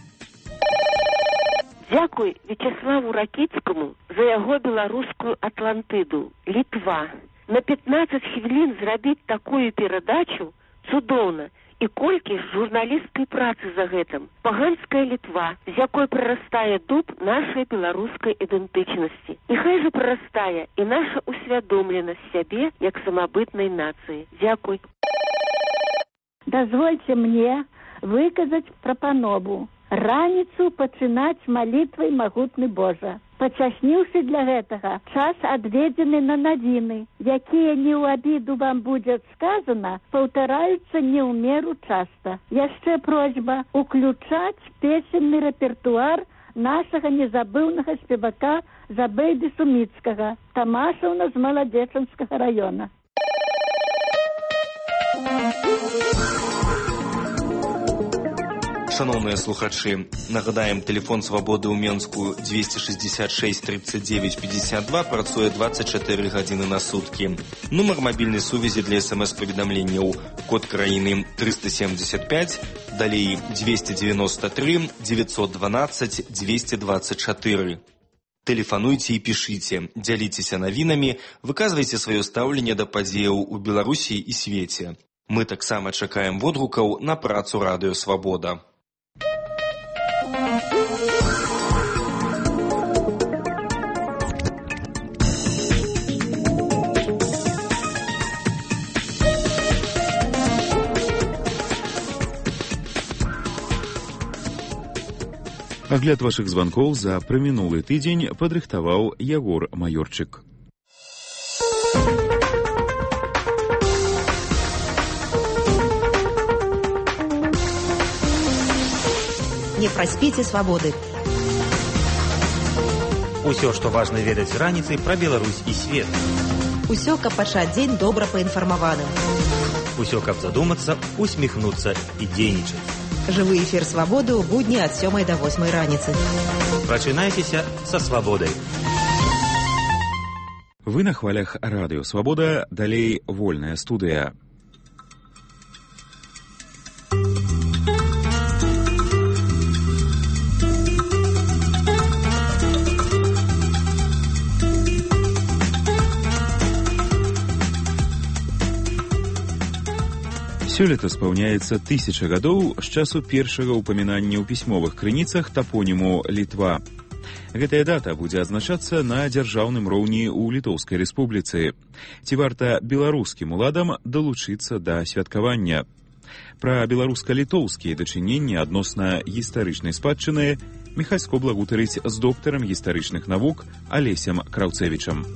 Дзякуй Вячеславу Ракіцкаму за яго беларускую Атлантыду. Літва. На 15 хвілін зрабіць такую перадачу цудоўна. І колькі ж журналісцкай працы за гэтым. Паганская Літва, з якой прарастае дуб нашай беларускай ідэнтычнасці. І хай же прарастае і наша усвядомленасць сябе як самабытнай нацыі. Дзякуй. Дазвольце мне выказаць прапанову. Раніцу пачынаць малітвай магутны Божа. Пачасніўшы для гэтага час адведзены на навіны, якія не ў абіду вам будзе сказана, паўтараюцца не ў меру часта. Яшчэ просьба уключаць песенны рэпертуар нашага незабыўнага спевака Забейды Суміцкага, Тамашаўна з Маладзечанскага раёна. Шановныя слухачы, нагадаем, тэлефон свабоды ў Менску 266 39 52 працуе 24 гадзіны на суткі. Нумар мабільнай сувязі для СМС-паведамленняў код краіны 375, далей 293 912 224. Тэлефануйце і пішыце, дзяліцеся навінамі, выказвайце сваё стаўленне да падзеяў у Беларусі і свеце. Мы таксама чакаем водгукаў на працу Радыё Свабода. Агляд вашых званкоў за прамінулы тыдзень падрыхтаваў Ягор Маёрчык. Не праспіце свабоды. Усё, што важна ведаць раніцай пра Беларусь і свет. Усё, каб пачаць дзень добра паінфармаваным. Усё, каб задумацца, усміхнуцца і дзейнічаць. Жывы эфір свабоды ў будні ад 7 до 8 раніцы. Прачынайцеся са свабодай. Вы на хвалях Радыё Свабода, далей вольная студыя. Сёлета спаўняецца 1000 гадоў з часу першага ўпамінання ў пісьмовых крыніцах тапоніму Літва. Гэтая дата будзе адзначацца на дзяржаўным роўні ў Літоўскай рэспубліцы. Ці варта беларускім уладам далучыцца да святкавання? Пра беларуска-літоўскія дачыненні адносна гістарычнай спадчыны Міхась Скобла гутарыць з доктарам гістарычных навук Алесем Краўцэвічам.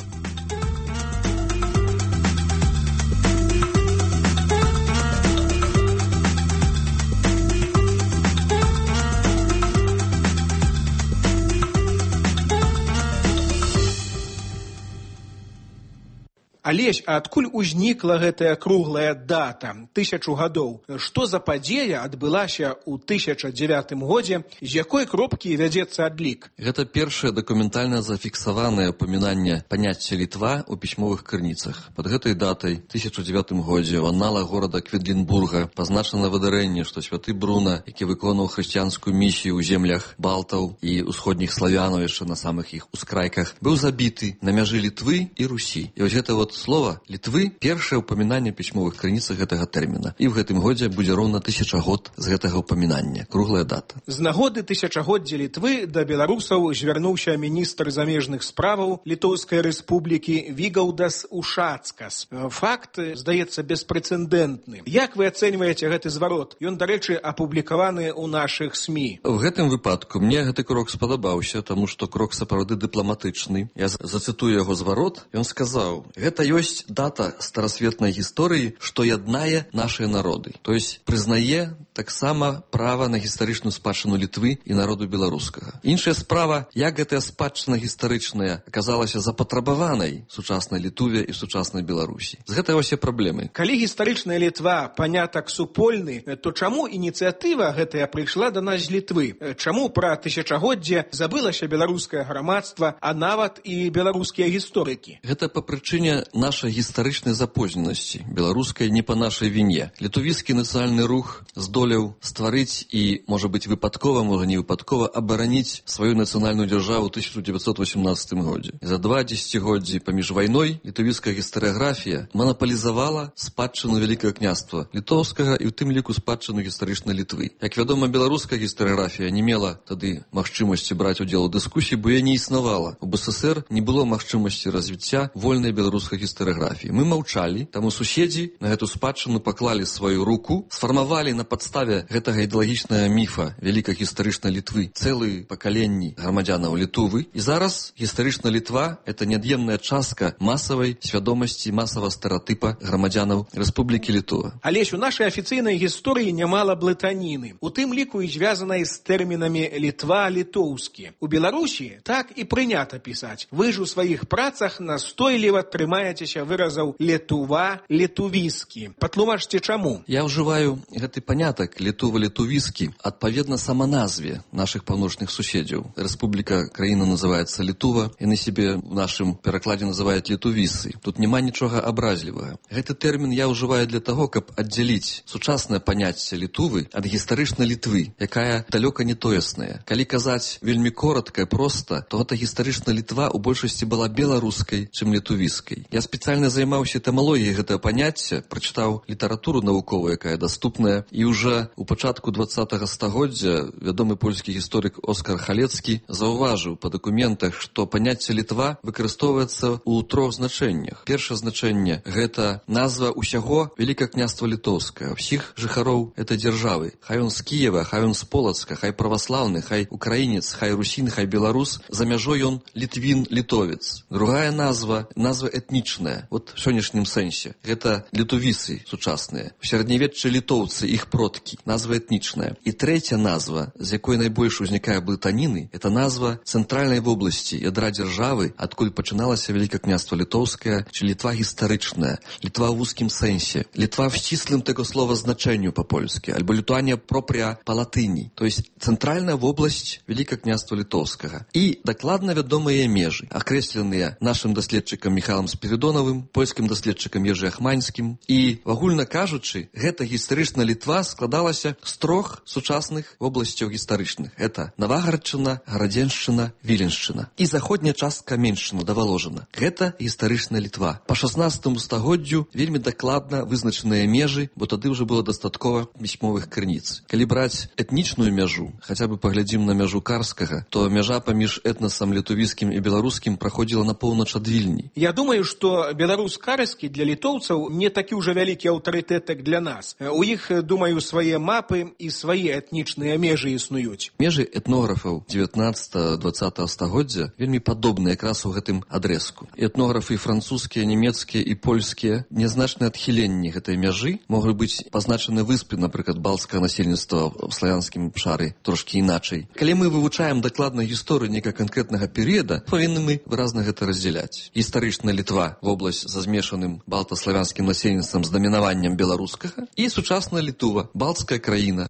Алесь, а адкуль узнікла гэтая круглая дата 1000 гадоў? Што за падзея адбылася ў 1009 годзе, з якой кропкі вядзецца адлік? Гэта першае дакументальна зафіксаванае ўпамінанне паняцця Літва ў пісьмовых крыніцах. Пад гэтай датай 1009 годзе ў анналах горада Кведлінбурга пазначана выдарэнне, што святы Бруна, які выконваў хрысціянскую місію ў землях балтаў і ўсходніх славянаў яшчэ на самых іх ускрайках, быў забіты на мяжы Літвы і Русі. І вось гэта слова Літвы першае ўпамінанне пісьмовых крыніцах гэтага тэрміна. І в гэтым годзе будзе роўна 1000 год з гэтага ўпамінання. Круглая дата. З нагоды 1000годдзя Літвы да беларусаў звярнуўся міністр замежных справаў Літоўскай рэспублікі Вігаўдас Ушацкас. Факт, здаецца, беспрэцэдэнтны. Як вы ацэньваеце гэты зварот? Ён, дарэчы, апублікаваны ў нашых СМІ. В гэтым выпадку мне гэты крок спадабаўся, таму што крок сапраўды дыпламатычны. Я зацытую яго зварот. Ён сказаў: гэта ёсць дата старасветнай гісторыі, што яднае нашыя народы. То есть прызнае таксама права на гістарычную спадчыну Літвы і народу беларускага. Іншая справа, як гэтая спадчына гістарычная аказалася запатрабаванай сучаснай Літуве і сучаснай Беларусі. З гэтай усе праблемы. Калі гістарычная Літва панятак супольны, то чаму ініцыятыва гэтая прыйшла да нас з Літвы? Чаму пра 1000годдзе забылася беларускае грамадства, а нават і беларускія гісторыкі? Гэта па прычыне нашай гістарычнай запозненасці, беларускай не па нашай віне. Літувійскі нацыянальны рух здолеў здолеў стварыць і, можа быць, выпадкова, можа не выпадкова, абараніць сваю нацыянальную дзяржаву ў 1918 годзе. За 2 дзесяцігоддзі паміж вайной літовіцкая гістарыяграфія манаполізавала спадчыну Вялікага княства літоўскага і ў тым ліку спадчыну гістарычнай Літвы. Як вядома, беларуская гістарыяграфія не мела тады магчымасці браць удзел у дыскусіі, бо яе не існавала. У БССР не было магчымасці развіцця вольнай беларускай гістарыяграфіі. Мы маўчалі, таму суседзі на гэту спадчыну паклалі сваю руку, сфармавалі на падставе гэтага ідэалагічнага міфа вялікай гістарычнай Літвы цэлыя пакаленні грамадзянаў Літвы. І зараз гістарычная Літва – это неад'емная частка масавай свядомасці, масавага стэрэатыпа грамадзянаў Рэспублікі Літва. Алесь, у нашай афіцыйнай гісторыі нямала блытаніны, у тым ліку і звязанай з тэрмінамі Літва, літоўскі. У Беларусі так і прынята пісаць. Вы ж у сваіх працах настойліва трымаецеся выразаў літува, літувіскі. Патлумачце чаму? Я ўжываю гэты панятак літува, літувіскі адпаведна саманазве нашых паўночных суседзяў. Рэспубліка, краіна называецца Літува, яны себе в нашым перакладзе называюць літувісы. Тут няма нічога абразлівага. Гэты тэрмін я ўжываю для таго, каб аддзяліць сучаснае паняцце Літувы ад гістарычнай Літвы, якая далёка не тоесная. Калі казаць вельмі коротка і проста, то гэта гістарычная Літва ў большасці была беларускай, чым літувіскай. Я спецыяльна займаўся этымалогіяй гэтага паняцця, прачытаў літаратуру навуковую, якая даступная, і ўжо у пачатку 20-го стагоддзя вядомы польскі гісторык Оскар Халецкі заўважыў па дакументах, што паняцце Літва выкарыстоўваецца ў 3 значэннях. Першае значэнне – гэта назва ўсяго Вялікага княства Літоўскага, ўсіх жыхароў этой дзяржавы. Хай он з Кіева, хай он з Полацка, хай праваслаўны, хай украінец, хай русін, хай беларус, за мяжой ён літвін, літовец. Другая назва этнічная, вот в сённяшнім сэнсе. Гэта літувісы сучасныя. У сярэднявеччы літоўцы, іх продкі. Назва этнічная. І трэця назва, з якой найбольш узнікае блытаніны, это назва цэнтральнай вобласці, ядра дзяржавы, адкуль пачыналася Вялікае княства Літоўскае, чи Літва гістарычная, Літва ў вузкім сэнсе, Літва в сціслым таго слова значэнню па-польскі, альбо Літуанія пропря па-латыні, то есть цэнтральная вобласць Вялікага княства Літоўскага. І дакладна вядомыя межы, акрэсленыя нашым даследчыкам Міхалам Спіридонавым, польскім даследчыкам Ежы Ахманскім. І, агульна кажучы, гэта гістарычная Літва складалася з 3 сучасных вобласцяў гістарычных. Это Навагарадчына, Гарадзеншчына, Віленшчына. І заходняя частка Меншчына да Валожына. Гэта гістарычная Літва. Па 16 стагоддзю вельмі дакладна вызначаныя межы, бо тады ўжо было дастаткова пісьмовых крыніц. Калі браць этнічную мяжу, хаця бы паглядзім на мяжу Карскага, то мяжа паміж этнасам літувіскім і беларускім праходзіла на поўнач ад Вільні. Я думаю, што беларус Карскі для літоўцаў не такі ўжо вялікі аўтарытэт, як для нас. У іх, думаю, свае мапы і свае этнічныя межы існуюць. Межы этнографаў 19-20 стагоддзя вельмі падобныя якраз у гэтым адрэзку. Этнографы французскія, нямецкія і польскія нязначныя адхіленні гэтай мяжы могуць быць пазначаны выспы, напрыклад, балцкага насельніцтва ў славянскім шары трошкі іначай. Калі мы вывучаем дакладна гісторыю некага канкрэтнага перыяда, павінны мы выразна гэта раздзяляць. Гістарычная Літва, вобласць за змешаным балта-славянскім насельніцтвам з дамінаваннем беларускага, і сучасная Літува, балцкая краіна.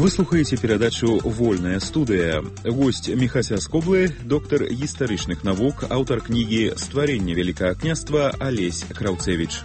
Вы слухаеце перадачу «Вольная студыя». Госць Міхася Скоблы, доктар гістарычных навук, аўтар кнігі «Стварэнне Вялікага княства» Алесь Краўцевіч.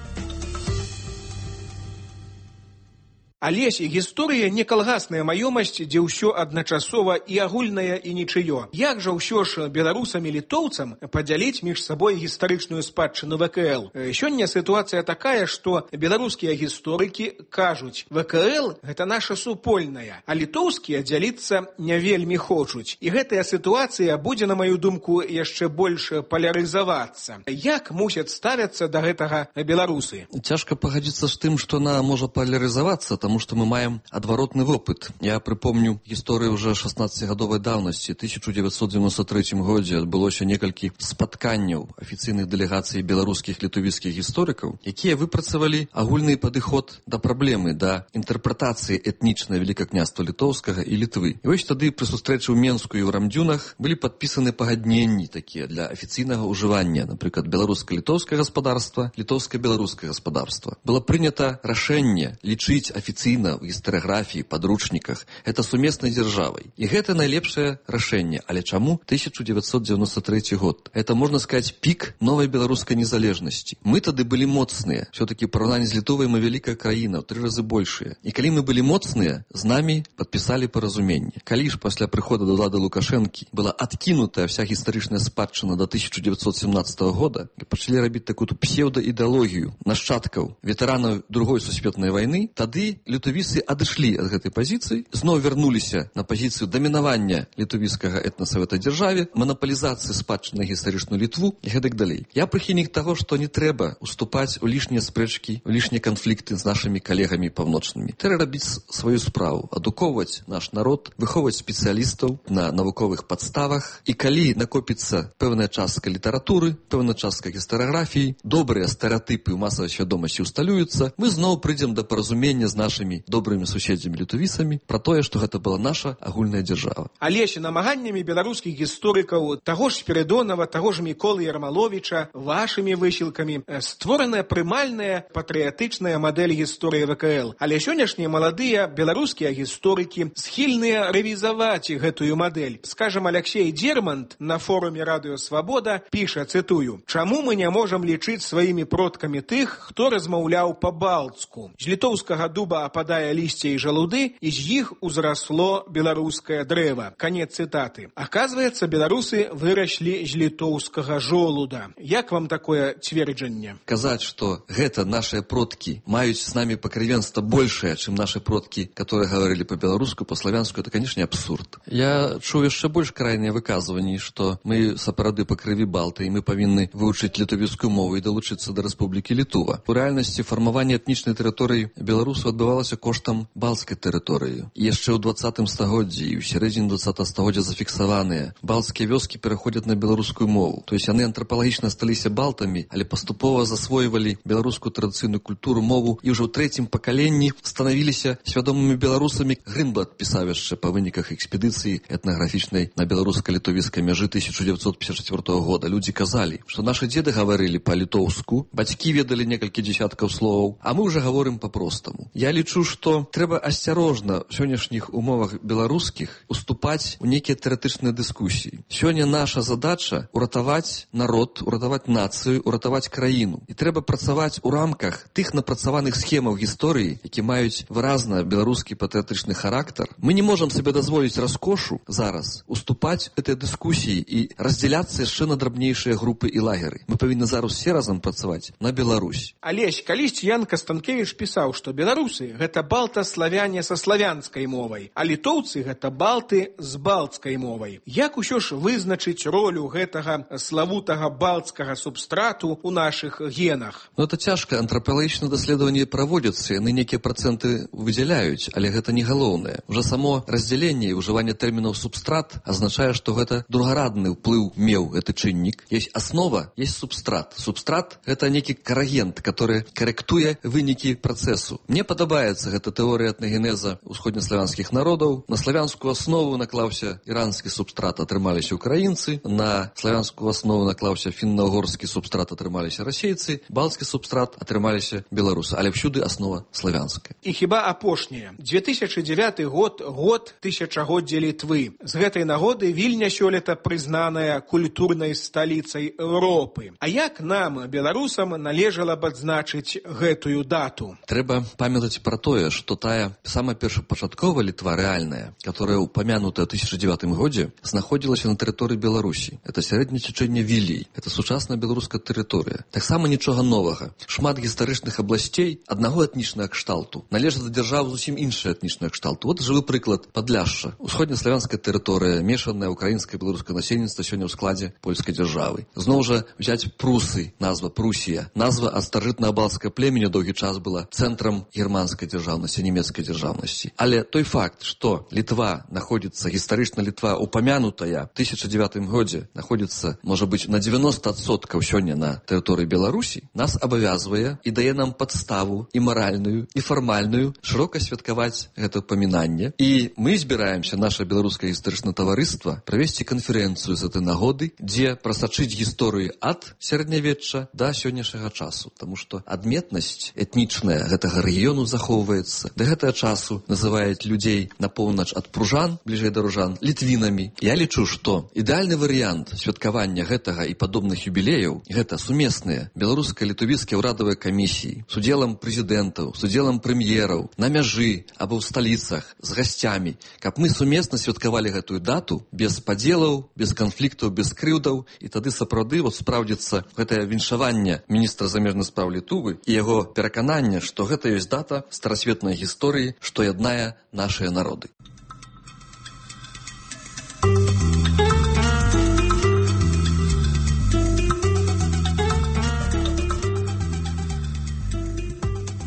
Алесь, гісторыя не калгасная маёмасць, дзе ўсё адначасова і агульнае, і нічыё. Як жа ўсё ж беларусам і літоўцам падзяліць між сабой гістарычную спадчыну ВКЛ? Сёння сітуацыя такая, што беларускія гісторыкі кажуць, ВКЛ – гэта наша супольная, а літоўскія дзяліцца не вельмі хочуць. І гэтая сітуацыя будзе, на маю думку, яшчэ больш палярызавацца. Як мусяць ставяцца да гэтага беларусы? Цяжка пагадзіцца з тым, што она можа палярызавацца, таму што мы маем адваротны вопыт. Я прыпомню гісторыю ўжо 16-гадовай даўнасці. 1993 годзе адбылося некалькі спатканняў афіцыйных дэлегацый беларускіх літувіцкіх гісторыкаў, якія выпрацавалі агульны падыход да праблемы, да інтэрпрэтацыі этнічнай Вялікага княства Літоўскага і Літвы. І вось тады пры сустрэчы ў Менску і ў Рамдзюнах былі падпісаны пагадненні такія для афіцыйнага ўжывання, напрыклад, беларуска-літоўскае гаспадарства, літоўска-беларускае гаспадарства. Было прынята рашэнне лічыць афіцыйнага афіцыйна ў гістарыяграфіі, падручніках, гэта сумеснай дзяржавай. І гэта найлепшае рашэнне. Але чаму 1993 год? Это, можна сказаць, пік новай беларускай незалежнасці. Мы тады былі моцныя. Все-таки параўнанні з Літовай мы вялікая краіна, ў 3 разы большая. І калі мы былі моцныя, з намі падпісалі паразуменне. Калі ж пасля прыхода да ўлады Лукашэнкі была адкінутая вся гістарычная спадчына до 1917 года, і пачалі рабіць такую псеўдаідэалогію нашчадкаў ветэранаў Другой сусветнай вайны, тады літовісы адышлі ад гэтай пазіцыі, зноў вярнуліся на пазіцыю дамінавання літовіцкага этнаса в этой дзяржаве, манапалізацыі спадчыны на гістарычную Літву і гэтак далей. Я прыхільнік таго, што не трэба уступаць у лішнія спрэчкі, у лішнія канфлікты з нашымі калегамі паўночнымі. Трэба рабіць сваю справу, адукоўваць наш народ, выхоўваць спецыялістаў на навуковых падставах. І калі накопіцца пэўная частка літаратуры, пэўная частка гістарыяграфіі, добрыя стэрэатыпы ў масавай свядомасці усталююцца, мы зноў прыйдзем да паразумення з нашымі добрымі суседзямі літовісамі пра тое, што гэта была наша агульная дзяржава. Але ж намаганнямі беларускіх гісторыкаў, таго ж Спірыдонава, таго ж Міколы Ярмаловіча, вашымі высілкамі створаная прымальная патрыятычная мадэль гісторыі ВКЛ. Але сённяшнія маладыя беларускія гісторыкі схільныя рэвізаваць гэтую мадэль. Скажам, Алексей Дермант на форуме Радыё Свабода піша, цытую: «Чаму мы не можам лічыць сваімі продкамі тых, хто размаўляў па-балтску? З літоўскага дуба ападае лісце і жалуды, і з іх узрасло беларускае дрэва». Канец цытаты. Аказваецца, беларусы выраслі з літоўскага жолуда. Як вам такое цверджанне? Казаць, што гэта нашыя продкі маюць з намі пакрывенства большае, чым нашы продкі, которые говорили по-беларуску, по-славянску, это, конечно, абсурд. Я чуў яшчэ больш крайныя выказванні, што мы сапраўды па крыві балты, і мы павінны вывучыць літовіцкую мову і далучыцца да Рэспублікі Літува. У рэальнасці фармаванне этнічнай тэрыторыі беларусаў адбывалася коштам балцкай тэрыторыі. І яшчэ ў 20 стагоддзі і ў сярэдзіне 20 стагоддзя зафіксаваныя балцкія вёскі пераходзяць на беларускую мову. То есть яны антрапалагічна сталіся балтамі, але паступова засвойвалі беларускую традыцыйную культуру, мову, і ўжо ў 3-м пакаленні станавіліся свядомымі беларусамі. Грынблат пісаў яшчэ па выніках экспедыцыі этнаграфічнай на беларуска-літовіцкай мяжы 1954 года. Людзі казалі, што нашы дзеды гаварылі па-літоўску, бацькі ведалі некалькі дзесяткаў словаў, а мы ўжо гаворым па-простаму. Я лічу, што трэба асцярожна ў сённяшніх умовах беларускіх уступаць у нейкія тэарэтычныя дыскусіі. Сёння наша задача уратаваць народ, уратаваць нацыю, уратаваць краіну. І трэба працаваць у рамках тых напрацаваных схемаў гісторыі, які маюць выразна беларускі патрыятычны характар. Мы не можам сабе дазволіць раскошу зараз уступаць гэтай дыскусіі і раздзяляцца яшчэ на драбнейшыя групы і лагеры. Мы павінны зараз все разам працаваць на Беларусь. Алесь, калісьці Ян Кастанкевіч пісаў, што беларусы — гэта балта-славяне са славянскай мовай, а літоўцы — гэта балты з балцкай мовай. Як усё ж вызначыць ролю гэтага славутага балцкага субстрату ў нашых генах? Это цяжка. Антрапалагічныя даследаванні праводзяцца, яны нейкія працэнты выдзяляюць, але гэта не галоўнае. Уже само раздзяленне і ўжыванне тэрмінаў субстрат азначае, што гэта другарадны ўплыў меў гэты чыннік. Есть аснова, есть субстрат. Субстрат — гэта нейкі карагент, который карэктуе вынікі працэсу. Мне падабаецца гэта тэорыя этнагенеза ўсходнеславянскіх народаў. На славянскую аснову наклаўся іранскі субстрат, атрымаліся украінцы, на славянскую аснову наклаўся фінна-угорскі субстрат, атрымаліся расейцы, балцкі субстрат, атрымаліся беларусы, але всюды аснова славянская. І хіба апошняе. 2009 год — год тысячагоддзя Літвы. З гэтай нагоды Вільня сёлета прызнаная культурнай сталіцай Еўропы. А як нам, беларусам, належала б адзначыць гэтую дату? Трэба памятаць пра тое, што тая самая першапачатковая Літва рэальная, которая упомянутая ў 2009 годзе, знаходзілася на тэрыторыі Беларусі. Это сярэдняе цячэнне Вілій. Это сучасная беларуская тэрыторыя. Таксама нічога новага. Шмат гістарычных абласцей аднаго этнічнага кшталту належаць да дзяржавы зусім іншая этнічная кшталту. Вот жывы прыклад Падляшша. Усходнеславянская тэрыторыя, мешанае украінскае і беларускае насельніцтва сёння ў складзе польскай дзяржавы. Зноў жа взяць Прусы, назва Прусія. Назва ад старажытнага балцкага племені доўгі час была цэнтрам германскай дзяржаўнасці, нямецкай дзяржаўнасці. Але той факт, што Літва находится, гістарычна Літва упомянутая в 2009 годзе, находится, можа быць, на 90% сёння на тэрыторыі Беларусі, нас абавязвае і дае нам падставу і маральную, і фармальную шырока святкаваць гэта памінанне. І мы збіраемся, наша беларускае гістарычнае таварыства, правесці канферэнцыю з гэтай нагоды, дзе прасачыць гісторыю ад сярэднявечча да сённяшняга часу. Таму што адметнасць этнічная гэтага рэгіёну заходу захоўваецца. Да гэтага часу называюць людзей на поўнач ад пружан, бліжэй да ружан, літвінамі. Я лічу, што ідэальны варыянт святкавання гэтага і падобных юбілеяў – гэта сумесныя беларуска-літувійскія ўрадавыя камісіі з удзелам прэзідэнтаў, з удзелам прэм'ераў, на мяжы або ў сталіцах з гасцямі, каб мы сумесна святкавалі гэтую дату без падзелаў, без канфліктаў, без крыўдаў, і тады сапраўды спраўдзіцца гэтае віншаванне міністра замежных спраў Літвы і яго перакананне, што гэта ёсць дата старасветнай гісторыі, што яднае нашыя народы.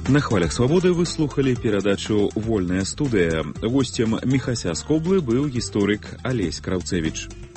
На хвалях свабоды вы слухали перадачу «Вольная студыя». Гостем Міхася з Коблы быў гісторык Алесь Краўцевіч.